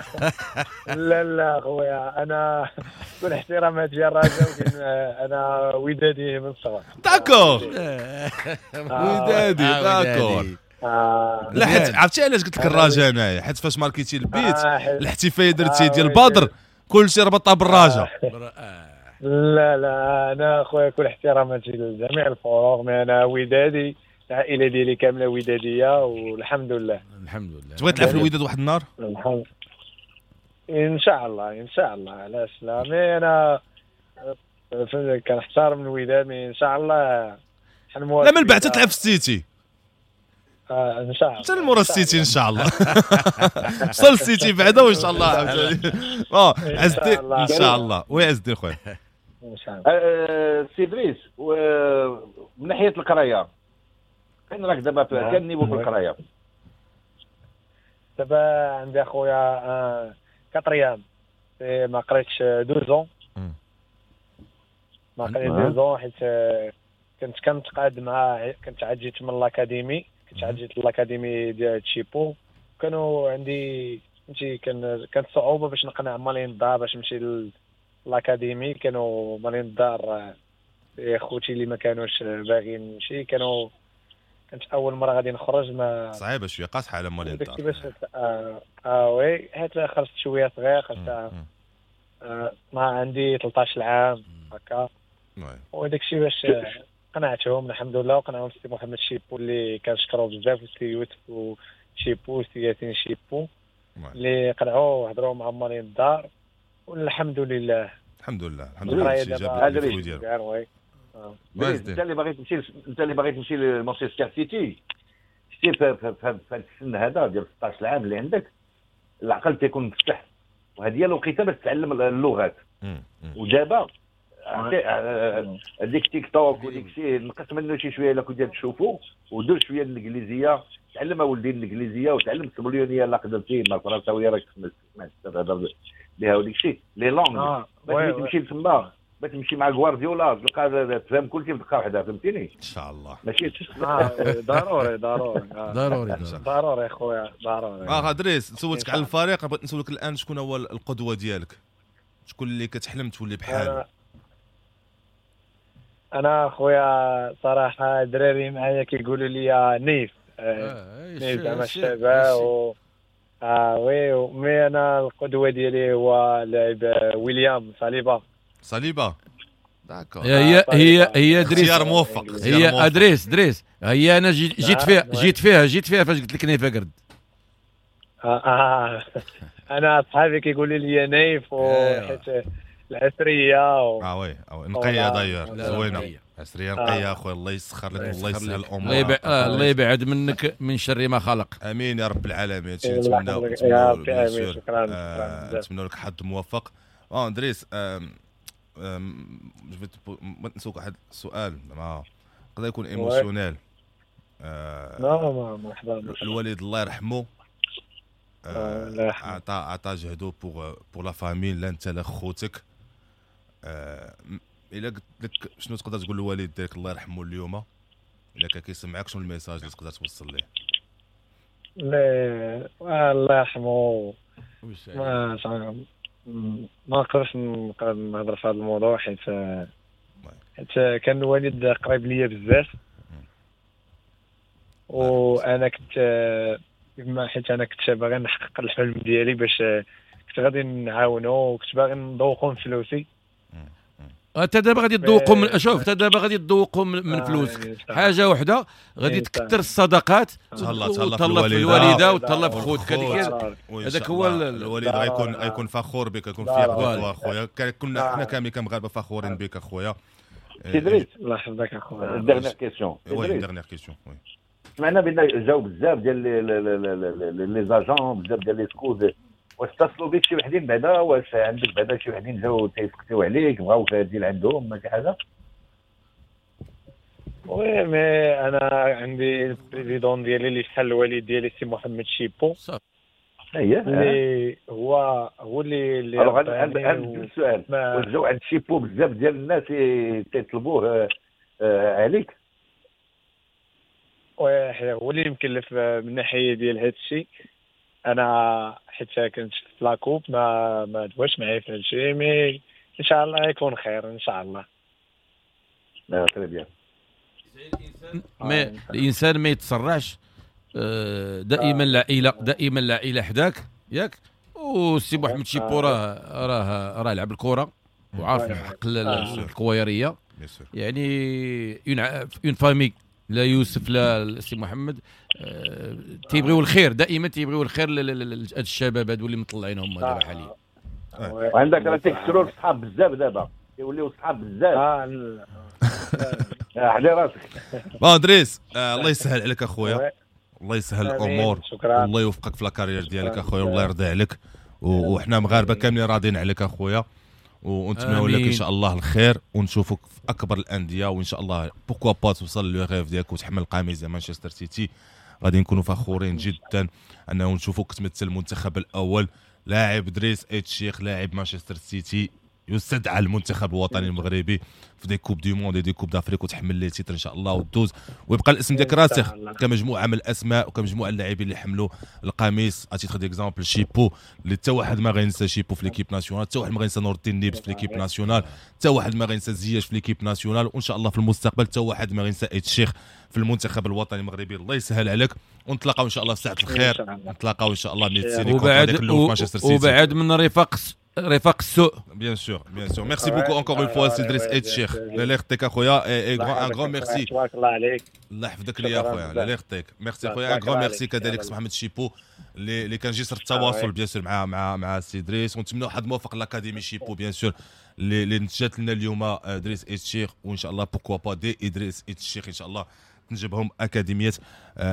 لا لا خويا، انا كل احترامات ديال الرجاء، ولكن انا ودادي من الصغر. d'accord، ودادي، d'accord. لا حيت عرفتي علاش قلت لك الرجاء انايا؟ حيت فاش ماركيتي البيت الاحتفالية درتي ديال بدر كلشي ربطها بالرجاء. لا لا، انا خويا كل احتراماتي لجميع الفرق، mais انا ودادي، العائلة ديالي كاملة وداديه والحمد لله. الحمد لله. تبغي تلعب في الوداد واحد النهار؟ الحمد ان شاء الله، ان شاء الله. علاش لا؟ mais انا كنحترم الوداد، mais ان شاء الله. لا من بعد تلعب في السيتي. ان شاء الله حتى المورا السيتي ان شاء الله. وصل السيتي بعدا وان شاء الله عاوتاني. عز الدين ان شاء الله. oui عز الدين خويا. ان شاء الله. سي دريس، من ناحية القراية فين راك دابا؟ quel niveau في القراية؟ دابا عندي اخويا quatrième، ما قريتش 2 ans، ما قريت 2 ans حيت كنت كنتقاد مع، كنت عاد جيت من l'académie، كنت عاد جيت l'académie ديال تشيبو، كانوا عندي فهمتي كانت صعوبة باش نقنع مالين الدار باش نمشي l'académie. كانوا مالين الدار خوتي اللي ما كانوش باغيين نمشي، كانوا كنت اول مرة غادي نخرج ما صعيبة شوية، قاصحة على مالين الدار كيفاش. oui، حيت خرجت شوية صغير، خرجت ما عندي 13 عام هكا، وداك الشيء باش قنعتهم الحمد لله، وقنعهم السي محمد شيبو اللي كنشكرو بزاف، والسي يوسف وشيبو والسي ياسين شيبو اللي قنعوا وهضروا مع مالين الدار، والحمد لله. الحمد لله، الحمد لله. جاب انت اللي باغي تمشي، انت اللي باغي تمشي لمانشستر سيتي، شتي في هذا السن هذا ديال 16 عام اللي عندك العقل تيكون مفتح، وهذه هي الوقيته باش تتعلم اللغات. ودابا هذيك تيك توك وديك الشيء نقص منه شي شوية الا كنت تشوفو، ودير شوية الانجليزية، تعلم اولدي الانجليزية وتعلم السبليونيه الا قدرتي، ما الفرنساويه راك تهضر بها وديك الشيء les langues باش تمشي لتما، باش تمشي مع غوارديولا تلقى تفهم كلشي في دقه واحدة، فهمتيني؟ ان شاء الله. ماشي ضروري ضروري ضروري ضروري خويا، ضروري. دريس، سولتك على الفريق، بغيت نسولك الان شكون هو القدوة ديالك؟ شكون اللي كتحلم تولي بحاله؟ انا خويا صراحة الدراري معايا كيقولوا لي نيف، نيف زعما الشباب و oui، mais انا القدوة ديالي هو لاعب ويليام صليبه. صليبه، d'accord. هي هي هي دريس، اختيار موفق. هي دريس، دريس هي انا جيت فيها، جيت فيها، جيت فيها فاش قلت لك نيف قرد. انا اصحابي كيقولوا لي نيف، وحيت العسريه oui نقية داير زوينة، عسريه نقية اخويا، الله يسخر لك والله يسهل الامور، الله يبعد منك من شر ما خلق. امين يا رب العالمين. هادشي نتمناو، نتمناو لك حظ موفق. دريس، بغيت نسولك واحد السؤال ما يقدر يكون émotionnel. مرحبا. الوالد الله يرحمه عطى جهدو pour la famille، لا انت لا خوتك. الا قلت لك شنو تقدر تقول للوالد ديالك الله يرحمه اليوم، الا كان كيسمعك شنو ال message اللي تقدر توصل ليه؟ لا الله يرحمه، ما نقدرش نهضر في هذا الموضوع حيت كان الوالد قريب ليا بزاف، وانا كنت حيت انا كنت باغي نحقق الحلم ديالي باش كنت غادي نعاونو، وكنت باغي نذوقو من فلوسي. انت دابا غادي تذوقوا من، شوف انت دابا غادي تذوقوا من فلوسك حاجة وحده، غادي تكثر الصدقات، تهلا في الوالدة وتهلا في خوتك، هذاك هو الوالد غيكون فخور بك، يكون fier de toi اخويا. كنا حنا كاملين كمغاربه فخورين بك اخويا. سي دريس الله يحفظك اخويا. dernière question. oui dernière question. oui سمعنا بان جاو بزاف ديال les agents، بزاف ديال les scouts. واش اتصلوا بك شي وحدين بعدا؟ واش عندك بعدا شي وحدين جاو تيسقسيو عليك، بغاو تجي لعندهم ما شي حاجة؟ oui mais انا عندي ال président ديالي اللي شحال الوالد ديالي سي محمد شيبو، اييه اللي هو اللي عندي السؤال، واش جاو عند شيبو بزاف ديال الناس تيطلبوه عليك؟ oui هو اللي مكلف من ناحية ديال هذا الشيء. انا حيت كنت في la coupe ما دواش معايا في هذا الشيء، mais ان شاء الله يكون خير ان شاء الله. لا très bien. ما الانسان ما يتسرعش، دائما العائلة، دائما العائلة حداك ياك. والسي محمد شيبو راه لعب الكره وعارف حق الكويريه، يعني une famille، لا يوسف لا السي محمد تيبغيو الخير، دائما تيبغيو الخير لهاد الشباب هادو اللي مطلعينهم دابا حاليا. وعندك راه تيكسروا الصحاب بزاف دابا، تيوليو صحاب بزاف. حلي راسك. bon دريس، الله يسهل عليك اخويا، الله يسهل الامور، والله يوفقك في la carrière ديالك اخويا، والله يرضي عليك، وحنا مغاربة كاملين راضيين عليك اخويا، ونتمنوا لك ان شاء الله الخير، ونشوفك في اكبر الاندية، وان شاء الله pourquoi pas توصل le rêve ديالك وتحمل قميص مانشستر سيتي. غادي نكونوا فخورين جدا انه نشوفوك تمثل المنتخب الاول، لاعب دريس ايت الشيخ لاعب مانشستر سيتي يستدعى المنتخب الوطني المغربي في des coupes du monde، des coupes d'Afrique، وتحمل les titres ان شاء الله وتدوز، ويبقى الاسم ديالك راسخ كمجموعة من الاسماء وكمجموعه اللاعبين اللي حملوا القميص. à titre d'exemple شيبو اللي حتى واحد ما غينسى شيبو في l'équipe nationale، حتى واحد ما غينسى نور الدين نيبس في l'équipe nationale، حتى واحد ما غينسى زياش في l'équipe nationale، وان شاء الله في المستقبل حتى واحد ما غينسى ايت الشيخ في المنتخب الوطني المغربي. الله يسهل عليك، ونتلاقاو ان شاء الله في ساعة الخير، نتلاقاو ان شاء الله ملي تسيني في مانشستر سيتي، وبعد من رفاق السوء. Bien sûr, bien sûr. Merci beaucoup encore une fois سي دريس ايت الشيخ. الله يخطيك اخويا، un grand merci. تبارك الله عليك. الله يحفظك ليا اخويا، الله يخطيك. ميرسي اخويا، un grand merci كذلك سي محمد شيبو اللي كان جسر التواصل bien sûr مع سي دريس، ونتمنوا حظ موفق l'académie شيبو bien sûr اللي نتجات لنا اليوم دريس ايت الشيخ، وان شاء الله pourquoi pas des ادريس ايت الشيخ ان شاء الله تنجبهم اكاديمية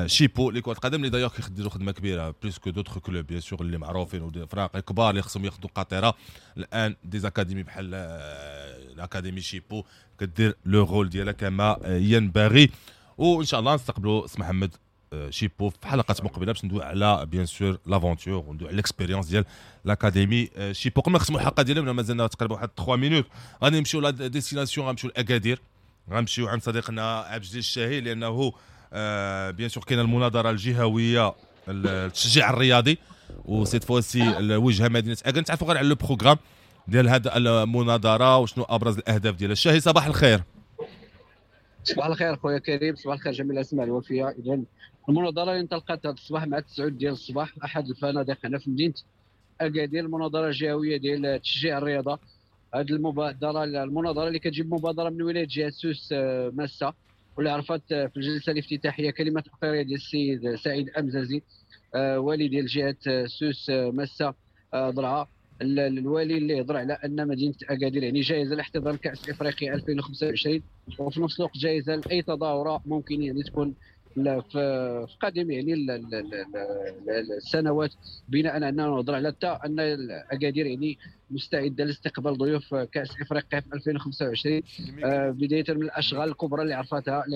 شيبو لكرة القدم، اللي d'ailleurs كيديروا خدمة كبيرة plus que d'autres clubs bien sûr اللي معروفين وفراق كبار اللي خصهم ياخذوا قاطره. الان des académies بحال l'académie شيبو كدير le rôle ديالها كما ينبغي. وان شاء الله نستقبلوا سي محمد شيبو في حلقات مقبله باش ندوي على bien sûr l'aventure وندوي على l'expérience ديال l'académie شيبو. قبل ما نختموا الحلقة ديالنا مازلنا تقريبا واحد 3 minutes، غادي نمشيو la destination، غنمشيو لاكادير، غنمشيو عند صديقنا عبد الجليل الشاهي، لانه bien sûr كاينه المناظرة الجهوية التشجيع الرياضي، و cette fois-ci الوجهة مدينة اكادير. نتعرفوا غير على le programme ديال هذه المناظرة وشنو ابرز الاهداف ديالها. الشاهي صباح الخير. صباح الخير خويا كريم، صباح الخير جميع الاسماء الوفيه. اذا المناظرة اللي انطلقت هذا الصباح مع 9 ديال الصباح في احد الفنادق هنا في مدينة اكادير، المناظرة الجهوية ديال تشجيع الرياضة. هذه المبادرة المناظرة اللي كتجيب مبادرة من ولاية جهة سوس ماسه، واللي عرفت في الجلسة الافتتاحيه كلمة تقريرية ديال السيد سعيد امزازي والي ديال جهة سوس ماسه درعا، الوالي اللي هضر على ان مدينة اكادير يعني جاهزة لاحتضان كاس افريقيا 2025، وفي نفس الوقت جاهزة لاي تظاهرة ممكن يعني تكون في قادم يعني السنوات، بناء على اننا نهضر على حتى ان اكادير يعني مستعدة لاستقبال ضيوف كاس افريقيا في 2025، بداية من الاشغال الكبرى اللي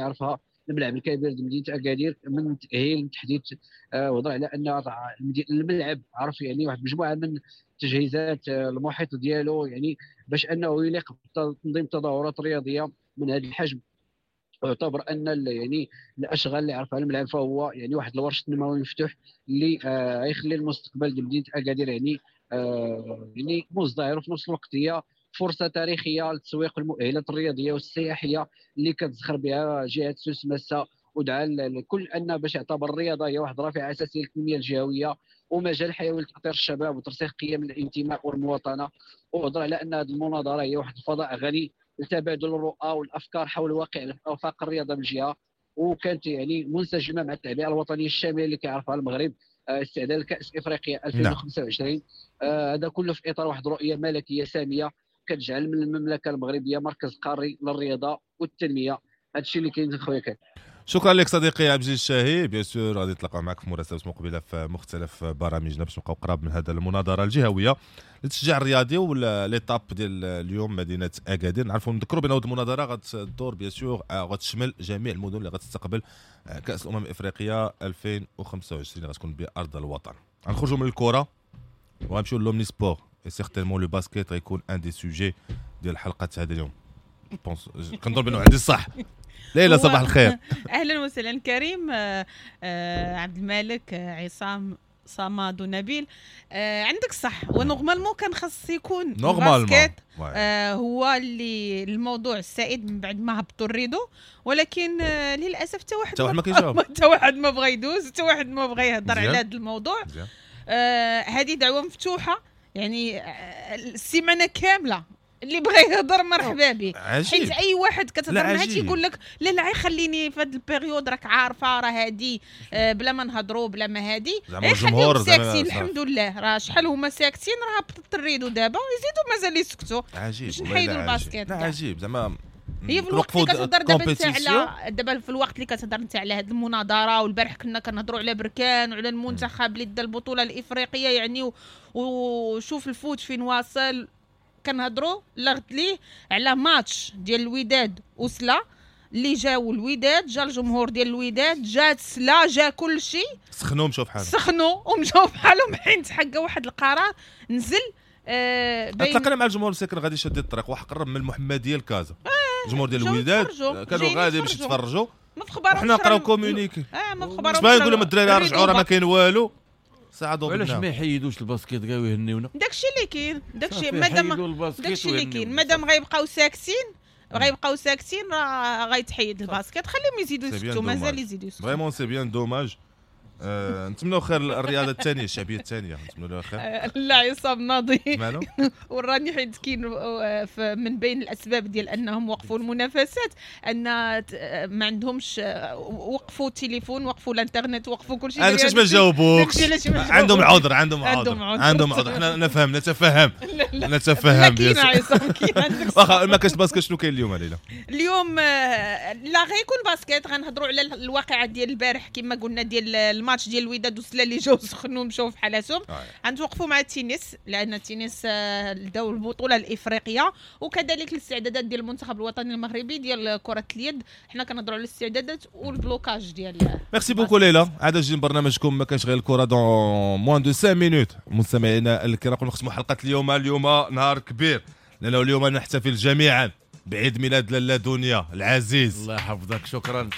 عرفها الملعب الكبير لمدينة اكادير من تاهيل من تحديث. وهضر على ان الملعب عرف يعني واحد المجموعة من التجهيزات المحيط ديالو يعني باش انه يليق بتنظيم تظاهرات رياضية من هذا الحجم. يعتبر ان يعني الاشغال اللي عرفها الملعب فهو يعني واحد الورش تنموي مفتوح اللي غيخلي المستقبل ديال مدينة اكادير يعني يعني مزدهر، وفي نفس الوقت هي فرصة تاريخية لتسويق المؤهلات الرياضية والسياحيه اللي كتزخر بها جهة سوس ماسه. ودعا الكل ان باش يعتبر الرياضة هي واحد الرافعه اساسية للتنمية الجهوية ومجال حيوي لتاطير الشباب وترسيخ قيم الانتماء والمواطنه. وهضر على ان هذه المناظرة هي واحد الفضاء غني لتبادل الرؤى والافكار حول واقع افاق الرياضة بالجهة، وكانت يعني منسجمه مع التعبئه الوطنية الشاملة اللي كيعرفها المغرب استعداد لكاس افريقيا 2025. هذا كله في اطار واحد الرؤية ملكية سامية كتجعل من المملكة المغربية مركز قاري للرياضة والتنمية. هذا الشيء اللي كاين خويا كان. شكرا لك صديقي عبد الجليل الشاهي. bien sûr غادي نتلاقاو معك في مراسلات مقبله في مختلف برامجنا باش نبقاو قراب من هذا المناظرة الجهوية للتشجيع الرياضي ولا l'étape ديال اليوم مدينة اكادير. نعرفوا نذكروا بان هذه المناظرة غتدور bien sûr غتشمل جميع المدن اللي غتستقبل كاس الامم الافريقية 2025 غتكون بارض الوطن. غنخرجوا من الكره وغنمشيو l'omnisport et certainement le basket غيكون un des sujets ديال حلقة هذا اليوم. كنظن بانه عندي الصح. ليلى صباح الخير. اهلا وسهلا كريم، عبد الملك، عصام، صمد ونبيل. عندك صح، و normalement كان خاص يكون ال basket هو اللي الموضوع السائد من بعد ما هبطوا ال rideau، ولكن للاسف حتى واحد ما كيجاوب، حتى واحد ما بغى يدوز، حتى واحد ما بغى يهضر على هذا الموضوع. هذه دعوه مفتوحة، يعني السيمانة كاملة اللي بغى يهضر مرحبا به، حيت اي واحد كتهضر معاه تيقول لك لا لا خليني في هذا ال période، راك عارفه راه هادي بلا ما نهضروا بلا ما هادي، الجمهور ساكتين الحمد لله، راه شحال هما ساكتين، راه هبطت ال rideau دابا يزيدوا مازال يسكتوا. عجيب، باش نحيدوا ال basket. لا عجيب زعما هي في الوقت اللي كتهضر دابا انت على دابا في الوقت اللي كتهضر انت على هذه المناظرة، والبارح كنا كنهضروا على بركان وعلى المنتخب اللي دا البطولة الافريقية، يعني وشوف ال foot فين واصل. كنهضروا لغد ليه على ماتش ديال الوداد وسلا اللي جاو الوداد، جا الجمهور ديال الوداد، جات سلا، جا كل شيء، سخنوا مشاو بحالهم، سخنوا ومشاو بحالهم، حين تحقق واحد القرار نزل. تلاقينا مع الجمهور مساكن غادي شاد الطريق، واحد قرب من المحمدية لكازا، الجمهور ديال الوداد كانوا غادي باش يتفرجوا، ما في خبرهم، حنا نقراو communiqué، ما في خبرهم، باش نقول لهم الدراري رجعوا راه ما كاين والو. ساعدوا علاش ما يحيدوش ال basket كاع ويهنيونا؟ داكشي اللي كاين، داكشي مادام داكشي اللي كاين، مادام غيبقاو ساكتين، غيبقاو ساكتين راه غيتحيد ال basket، خليهم يزيدوا يسكتوا، مازال يزيدوا يسكتوا. vraiment c'est bien dommage. نتمنوا خير الرياضة الثانية الشعبية الثانية، نتمنوا لها خير. لا عصام ناضي وراني حيت كاين من بين الاسباب ديال انهم وقفوا المنافسات ان ما عندهمش، وقفوا التليفون، وقفوا الانترنت، وقفوا كل شيء. هذاك ما جاوبوكش، عندهم عذر، عندهم عذر، عندهم عذر. حنا نفهم، نتفهم، نتفهم. كاين عصام، كاين عندك. واخا ما كاينش basket، شنو كاين اليوم ليلى؟ اليوم لا غيكون basket، غنهضروا على الواقعة ديال البارح كما قلنا ديال الماتش ديال الوداد وسلا اللي جاو سخنوا مشاو في حالاتهم. غنتوقفوا مع التنس لان التنس داو البطولة الافريقية، وكذلك الاستعدادات ديال المنتخب الوطني المغربي ديال كره اليد. حنا كنهضروا على الاستعدادات وال blocage ديال. merci beaucoup ليلى. عاد جي برنامجكم ما كانش غير الكره dans moins de 5 minutes. مستمعينا الكرام نختموا حلقة اليوم. اليوم نهار كبير لانه اليوم نحتفل جميعا بعيد ميلاد لاله دنيا العزيز. الله يحفظك، شكرا.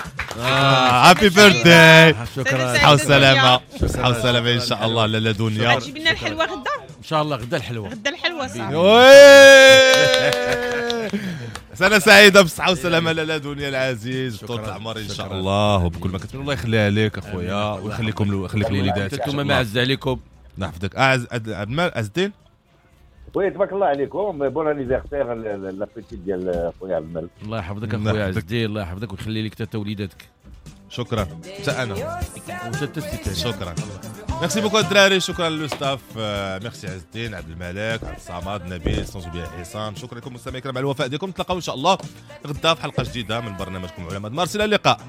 happy birthday. شكرا، صحة وسلامه، صحة وسلامه ان شاء الله لاله دنيا. غتجيب لنا الحلوة غدا ان شاء الله، غدا الحلوة، غدا الحلوة صافي. سنة سعيدة بالصحة والسلامة لاله دنيا العزيز، طول العمر ان شاء الله وبكل ما كتمنى. الله يخليها لك اخويا ويخليكم ويخليك الوليدات. انتم ما عز عليكم. نحفظك. اعز عبد المال عز الدين. oui تبارك الله عليكم، bon anniversaire la petite ديال خويا عبد الملك. الله يحفظك اخويا عز الدين، الله يحفظك ويخلي لك حتى وليداتك. شكرا حتى انا شكرا. merci beaucoup الدراري، شكرا le staff، merci عز الدين، عبد الملك، عبد الصمد، نبيل، sans oublier عصام. شكرا لكم مستمعينا الكرام على الوفاء ديالكم. نتلاقاو ان شاء الله غدا في حلقة جديدة من برنامجكم علماء مارس. الى اللقاء.